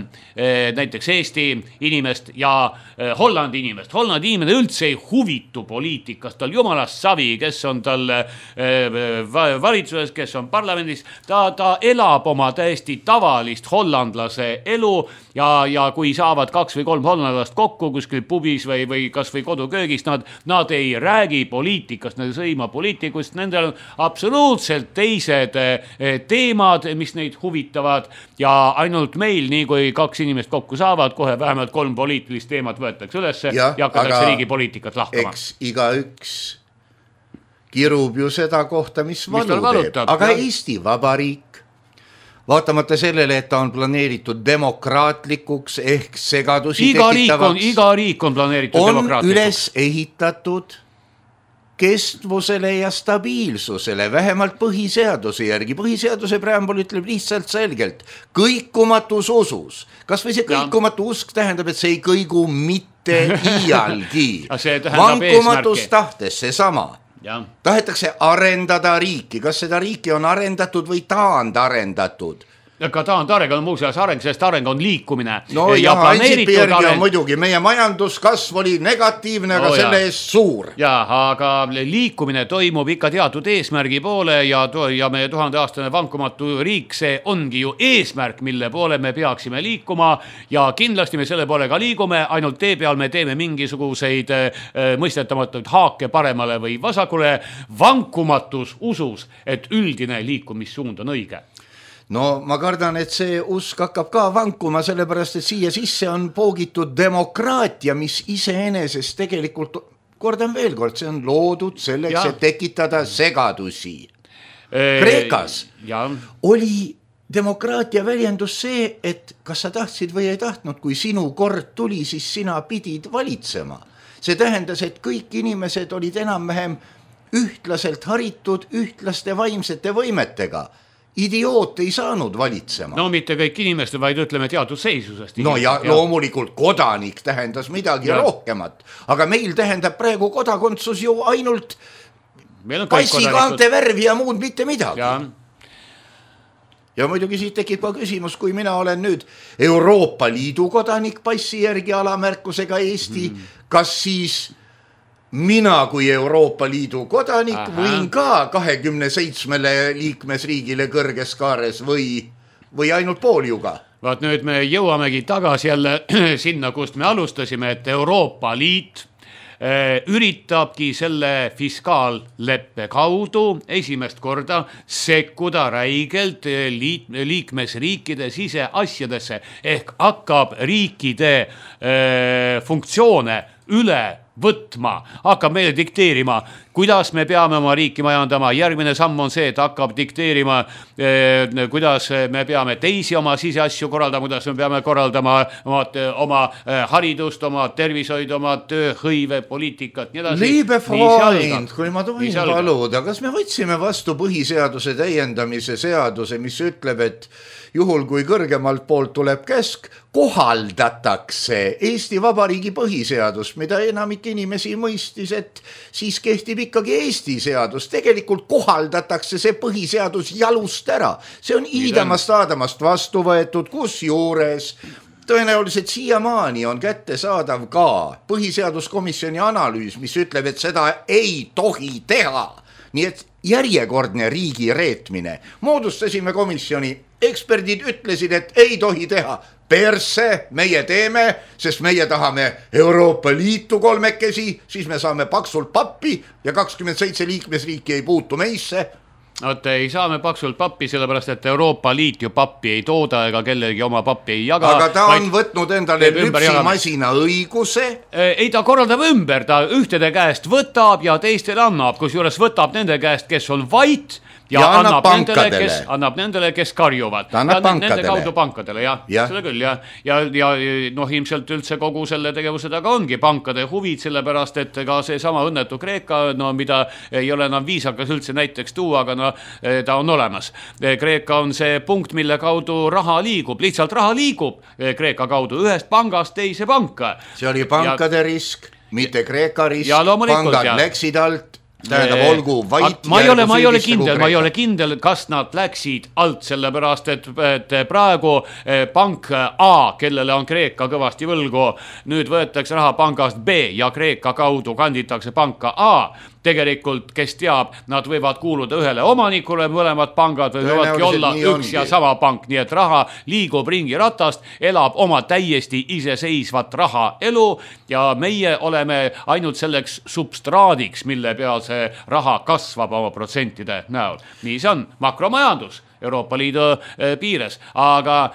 näiteks Eesti inimest ja Hollandi inimest, Hollandi inimene üldse ei huvitu poliitikast, tal jumalast savi, kes on tal valitsuses, kes on parlamendis, ta, ta elab oma täiesti tavalist hollandlase elu ja, ja kui saavad kaks või kolm hollandlast kokku kuskil pubis või, või kas või koduköögis, nad, nad ei räägi poliitikast, nad ei sõima poliitikust, nendel on absoluutselt teised teemad, mis neid huvitavad ja ainult meil, nii kui kaks inimest kokku saavad, kohe vähemalt kolm poliitilist teemat võetakse ülesse ja, ja hakatakse riigi poliitikat lahkama. Eks iga üks kirub ju seda kohta, mis valu teeb, aga ja. Eesti Vabariik vaatamata sellele, et ta on planeeritud demokraatlikuks ehk segadusi iga tekitavaks, riik on, iga riik on planeeritud on demokraatlikuks. Üles ehitatud kestvusele ja stabiilsusele, vähemalt põhiseaduse järgi. Põhiseaduse preambul ütleb lihtsalt selgelt, kõikumatus usus. Kas või see kõikumatu usk tähendab, et see ei kõigu mitte iialgi. Vankumatus tahtes, see sama. Ja. Tahetakse arendada riiki, kas seda riiki on arendatud või taandarendatud? Ka taandarendatud on muuseas areng, sest areng on liikumine. No ja, ja Ansip järgi on muidugi, meie majanduskasv oli negatiivne, aga no, selle eest suur. Ja, aga liikumine toimub ikka teatud eesmärgi poole ja, ja meie tuhandeaastane vankumatu riik, see ongi ju eesmärk, mille poole me peaksime liikuma ja kindlasti me selle poole ka liigume, ainult tee peal me teeme mingisuguseid äh, mõistetamatuid haake paremale või vasakule, vankumatus usus, et üldine liikumissuund on õige. No ma kardan, et see usk hakkab ka vankuma, sellepärast, et siia sisse on poogitud demokraatia, mis iseenesest tegelikult, kordan veel kord, see on loodud selleks, ja. Et tekitada segadusi. Kreekas ja. Oli demokraatia väljendus see, et kas sa tahtsid või ei tahtnud, kui sinu kord tuli, siis sina pidid valitsema. See tähendas, et kõik inimesed olid enam-vähem ühtlaselt haritud, ühtlaste vaimsete võimetega. Idioot ei saanud valitsema. No mitte kõik inimesed, vaid ütleme teatud seisusest. No ja, ja loomulikult kodanik tähendas midagi ja. Rohkemat, aga meil tähendab praegu kodakondsus ju ainult passikaante värvi ja muud mitte midagi. Ja. Ja muidugi siit tekib ka küsimus, kui mina olen nüüd Euroopa Liidu kodanik passi järgi alamärkusega Eesti, mm. kas siis mina kui Euroopa Liidu kodanik Aha. võin ka kahekümne seitsmele liikmesriigile kõrges kaares või, või ainult pooljuga. Vaat nüüd me jõuamegi tagasi jälle sinna, kust me alustasime, et Euroopa Liit äh, üritabki selle fiskaalleppe kaudu esimest korda sekkuda räigelt liit, liikmesriikide siseasjadesse ehk hakkab riikide äh, funktsioone üle võtma, hakkab meile dikteerima, kuidas me peame oma riiki majandama. Järgmine samm on see, et hakkab dikteerima, eh, kuidas me peame teisi oma siseasju korraldama, kuidas me peame korraldama oma, oma eh, haridust, oma tervishoid, oma tööhõive, poliitikat. Liebe Freund, kui ma tohin paluda, kas me võtsime vastu põhiseaduse täiendamise seaduse, mis ütleb, et juhul kui kõrgemalt poolt tuleb käsk, kohaldatakse Eesti Vabariigi põhiseadust, mida enamik inimesi mõistis, et siis kehtib ikkagi Eesti seadus. Tegelikult kohaldatakse see põhiseadus jalust ära. See on iidamast aadamast vastu võetud, kus juures tõenäoliselt siiamaani on kättesaadav ka põhiseaduskomisjoni analüüs, mis ütleb, et seda ei tohi teha. Nii et järjekordne riigi reetmine. Moodustasime komisjoni, eksperdid ütlesid, et ei tohi teha. Perse meie teeme, sest meie tahame Euroopa Liitu kolmekesi, siis me saame paksult pappi ja kakskümmend seitse liikmesriiki ei puutu meisse. Oot, ei saa me paksult pappi, sellepärast, et Euroopa Liit ju pappi ei tooda ega kellelgi oma pappi ei jaga. Aga ta on võtnud endale lüpsimasina õiguse. Ei, ta korraldab ümber, ta ühtede käest võtab ja teistele annab, kus juures võtab nende käest, kes on vait ja, ja annab, annab, nendele, kes, annab nendele, kes karjuvad. Ta annab ja pankadele. Nende kaudu pankadele, jah. Ja. Seda küll, jah. Ja, ja noh, ilmselt üldse kogu selle tegevuse taga ongi pankade huvid, sellepärast, et ka see sama õnnetu Kreeka, no mida ei ole enam viisakas üldse näiteks tuua, aga no ta on olemas. Kreeka on see punkt, mille kaudu raha liigub, lihtsalt raha liigub Kreeka kaudu ühest pangast teise panka. See oli pankade ja, risk, mitte Kreeka risk, pangad ja. läksid alt. Tähendab, olgu vait ma ei ole, ma ei ole kindel, ma ei ole kindel, kas nad läksid alt, sellepärast, et, et praegu pank A, kellele on Kreeka kõvasti võlgu, nüüd võetakse raha pangast B ja Kreeka kaudu kanditakse panka A. Tegelikult, kes teab, nad võivad kuuluda ühele omanikule, mõlemad pangad võivadki olla üks ongi. Ja sama pank, nii et raha liigub ringi ratast, elab oma täiesti iseseisvat raha elu ja meie oleme ainult selleks substraadiks, mille peal see raha kasvab oma protsentide näol. Nii see on makromajandus Euroopa Liidu piires, aga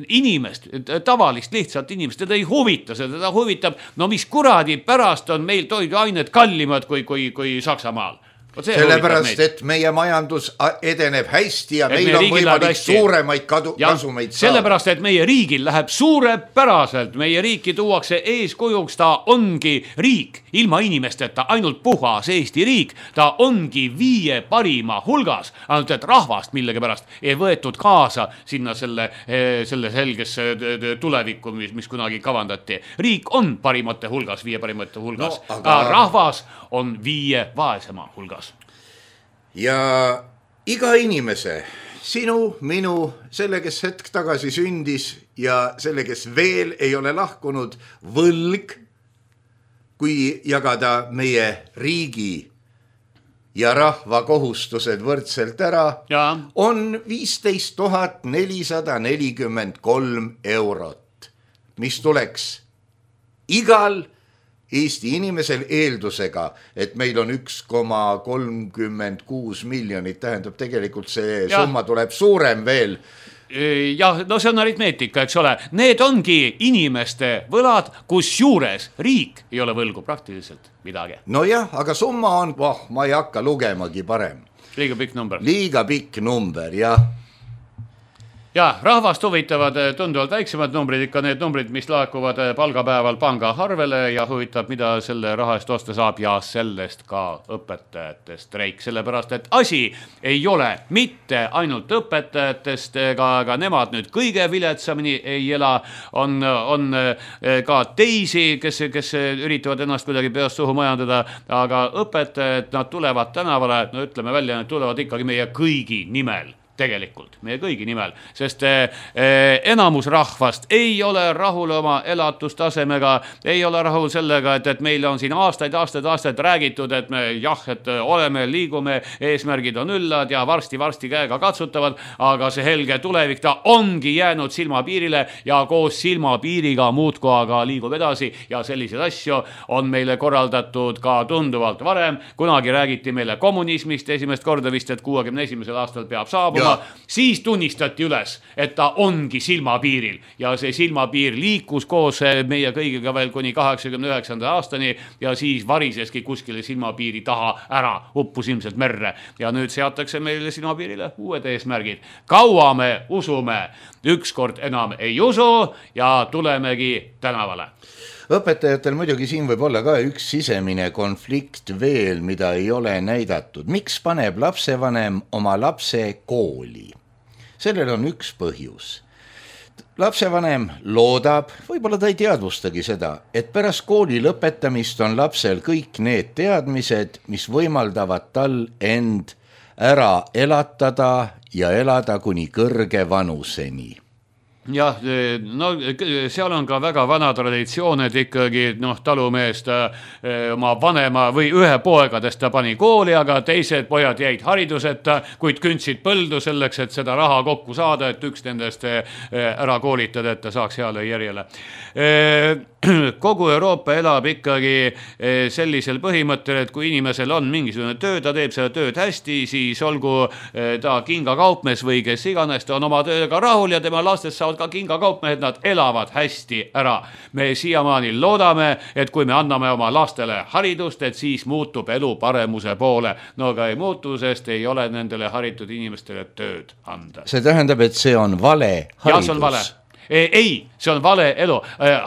inimest, tavalist lihtsalt inimest, teda ei huvita, seda huvitab, no mis kuradi pärast on meil toiduained kallimad kui, kui, kui Saksamaal. Sellepärast, et meie majandus edeneb hästi ja meil, meil on võimalik suuremaid kadu, ja, kasumeid saada. Sellepärast, et meie riigil läheb suurepäraselt, meie riiki tuuakse eeskujuks, ta ongi riik, ilma inimesteta, ainult puhas Eesti riik, ta ongi viie parima hulgas, ainult et rahvast millegi pärast ei võetud kaasa sinna selle, selle selgesse tulevikku, mis, mis kunagi kavandati. Riik on parimate hulgas, viie parimate hulgas, no, aga rahvas on viie vaesema hulgas. Ja iga inimese, sinu, minu, selle, kes hetk tagasi sündis ja selle, kes veel ei ole lahkunud, võlg, kui jagada meie riigi ja rahva kohustused võrdselt ära, ja. on viisteist tuhat nelisada nelikümmend kolm eurot, mis tuleks igal Eesti inimesel eeldusega, et meil on üks koma kolmkümmend kuus miljonit, tähendab tegelikult see ja. Summa tuleb suurem veel. Jah, no see on aritmeetika, eks ole. Need ongi inimeste võlad, kus juures riik ei ole võlgu praktiliselt midagi. No jah, aga summa on, oh, ma ei hakka lugemagi parem. Liiga pikk number. Liiga pikk number, jah. Ja, rahvast huvitavad tunduvalt väiksemad numbrid, ikka need numbrid, mis laekuvad palgapäeval panga arvele ja huvitab, mida selle raha eest osta saab ja sellest ka õpetajate streik. Sellepärast, et asi ei ole mitte ainult õpetajatest, aga nemad nüüd kõige viletsamini ei ela. On, on ka teisi, kes, kes üritavad ennast kuidagi peast suhu majandada, aga õpetajad, nad tulevad tänavale, no ütleme välja, nad tulevad ikkagi meie kõigi nimel. Tegelikult, meie kõigi nimel, sest eh, enamus rahvast ei ole rahul oma elatustasemega, ei ole rahul sellega, et, et meil on siin aastaid, aastaid, aastaid räägitud, et me jah, et oleme, liigume, eesmärgid on üllad ja varsti, varsti käega katsutavad, aga see helge tulevik, ta ongi jäänud silmapiirile ja koos silmapiiriga muudku aga liigub edasi ja selliseid asju on meile korraldatud ka tunduvalt varem. Kunagi räägiti meile kommunismist esimest korda vist, et kuuekümne esimesel aastal peab saabuma. Siis tunnistati üles, et ta ongi silmapiiril ja see silmapiir liikus koos meie kõigiga veel kuni kaheksakümne üheksanda aastani ja siis variseski kuskile silmapiiri taha ära, uppus ilmselt merre ja nüüd seatakse meile silmapiirile uued eesmärgid. Kaua me usume, ükskord enam ei usu ja tulemegi tänavale. Õpetajatel muidugi siin võib olla ka üks sisemine konflikt veel, mida ei ole näidatud. Miks paneb lapsevanem oma lapse kooli? Sellel on üks põhjus. Lapsevanem loodab, võib-olla ta ei teadvustagi seda, et pärast kooli lõpetamist on lapsel kõik need teadmised, mis võimaldavad tal end ära elatada ja elada kuni kõrge vanuseni. jah, no seal on ka väga vana traditsioon, et ikkagi noh, talumeest oma vanema või ühe poegadest ta pani kooli, aga teised pojad jäid hariduseta, kuid kündsid põldu selleks, et seda raha kokku saada, et üks nendest ära koolitada, et ta saaks heale järjele. Kogu Euroopa elab ikkagi sellisel põhimõttel, et kui inimesel on mingisugune töö, ta teeb selle tööd hästi, siis olgu ta kingakaupmees või kes iganes, ta on oma tööga rahul ja tema lastest saavad ka kingakaupmehed, nad elavad hästi ära. Me siiamaani loodame, et kui me anname oma lastele haridust, et siis muutub elu paremuse poole. No aga ei muutu, sest ei ole nendele haritud inimestele tööd anda. See tähendab, et see on vale haridus. Ja, see on vale. Ei, see on vale elu.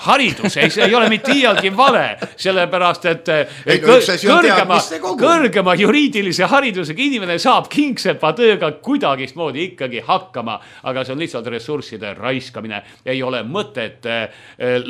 Haridus ei, see ei ole mitte iialgi vale, sellepärast, et ei, no, kõrgema, kõrgema juriidilise haridusega inimene saab kingsepa tööga kuidagismoodi ikkagi hakkama, aga see on lihtsalt ressursside raiskamine. Ei ole mõtet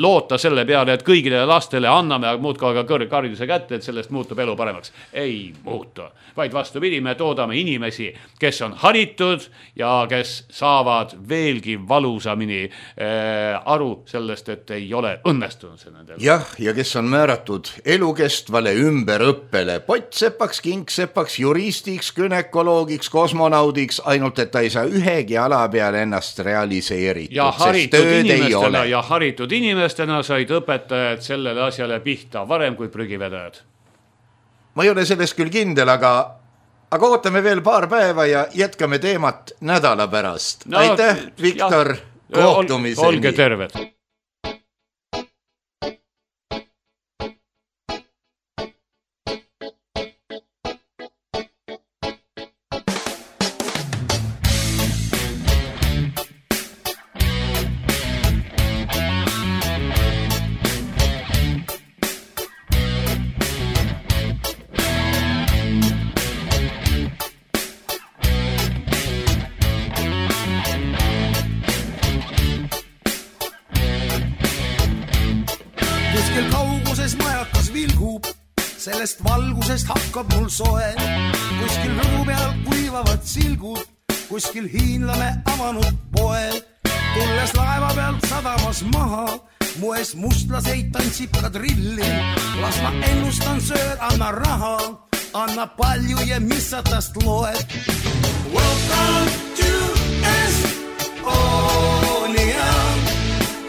loota selle peale, et kõigile lastele anname muudka aga kõrghariduse kätte, et sellest muutub elu paremaks. Ei muutu, vaid vastupidi, me toodame inimesi, kes on haritud ja kes saavad veelgi valusamini aru sellest, et ei ole õnnestunud see nendel. Jah, ja kes on määratud elukestvale ümberõppele, pottsepaks, kingsepaks, juristiks, günekoloogiks, kosmonaudiks, ainult et ta ei saa ühegi ala peale ennast realiseeritud, ja sest tööd ei ole. Ja haritud inimestena said õpetajad sellele asjale pihta varem kui prügivedajad. Ma ei ole sellest küll kindel, aga aga ootame veel paar päeva ja jätkame teemat nädala pärast. No, aitäh, Viktor! Ja. Kohtumiseni. Olge terved. Sellest valgusest hakkab mul soe, kuskil rõdu peal kuivavad silgud, kuskil hiinlane avanud poe. Tulles laeva pealt sadamas maha, mu ees mustlaseid tantsib ka drilli. Las ma ennustan sööd, anna raha, anna palju ja mis sa tast loed. Welcome to Estonia,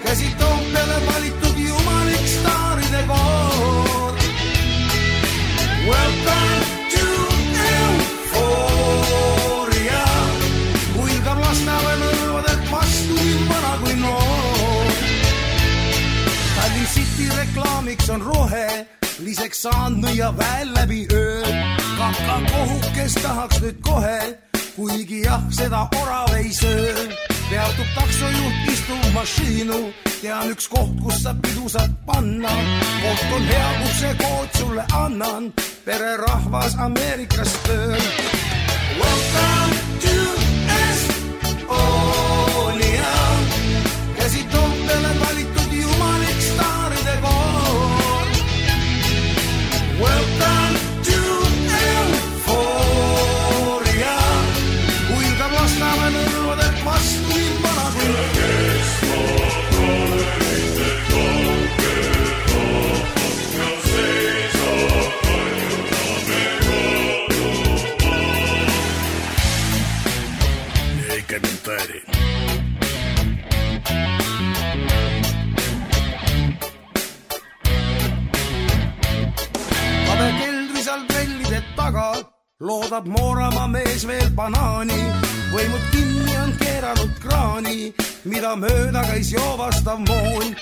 käsi Toompeale valitud jumalik staaride koor. Welcome to Euphoria, kuilgab lastave nõlvadelt vastu nii vana kui noor. Tallinn City reklaamiks on rohe, liseks saanud ja väel läbi öö. Kaka kohukes tahaks nüüd kohe, kuigi jah, seda orav ei söö. Peatub taksojuht, istub mašiinu, tean üks koht, kus sa pidu saad panna. Koht on hea, kus see kood sulle annan, pere rahvas Ameerikast tööl. Welcome to Estonia, käsi Toompeale valitud jumalik staaride koor. Welcome to Euphoria, kuilgab lastave nõlvadelt vastu nii vana kui комментарий. Kabe keldris all trellide taga loodab Mooramaa mees veel banaani. Võimud kinni on keeranud kraani, mida mööda käis joovastav moon.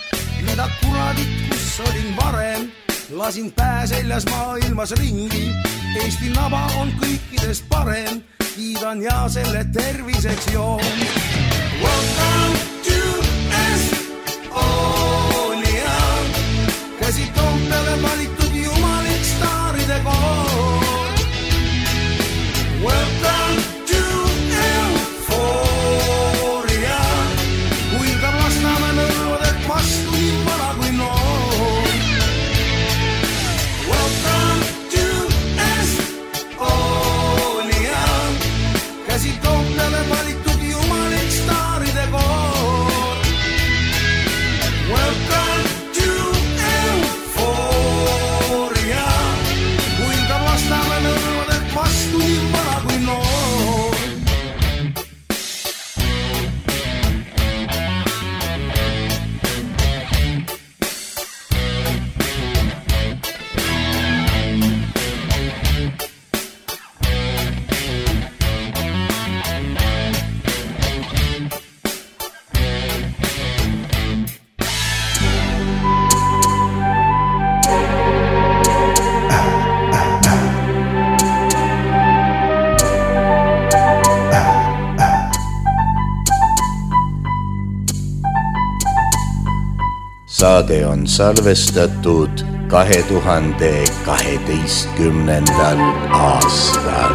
Mida kuradit, kus olin varem, lasin pääseljas maailmas ringi. Eesti naba on kõikidest parem, kiidan ja selle terviseks joon. Welcome to Estonia, käsi Toompeale valitud jumalik staaride koor. Welcome to Euphoria, kuilgab lastame nõlvadelt vastu nii vana kui noor. Welcome to Estonia, käsi Toompeale valitud jumalik staaride koor. saade on salvestatud kahe tuhande kaheteistkümnendal aastal.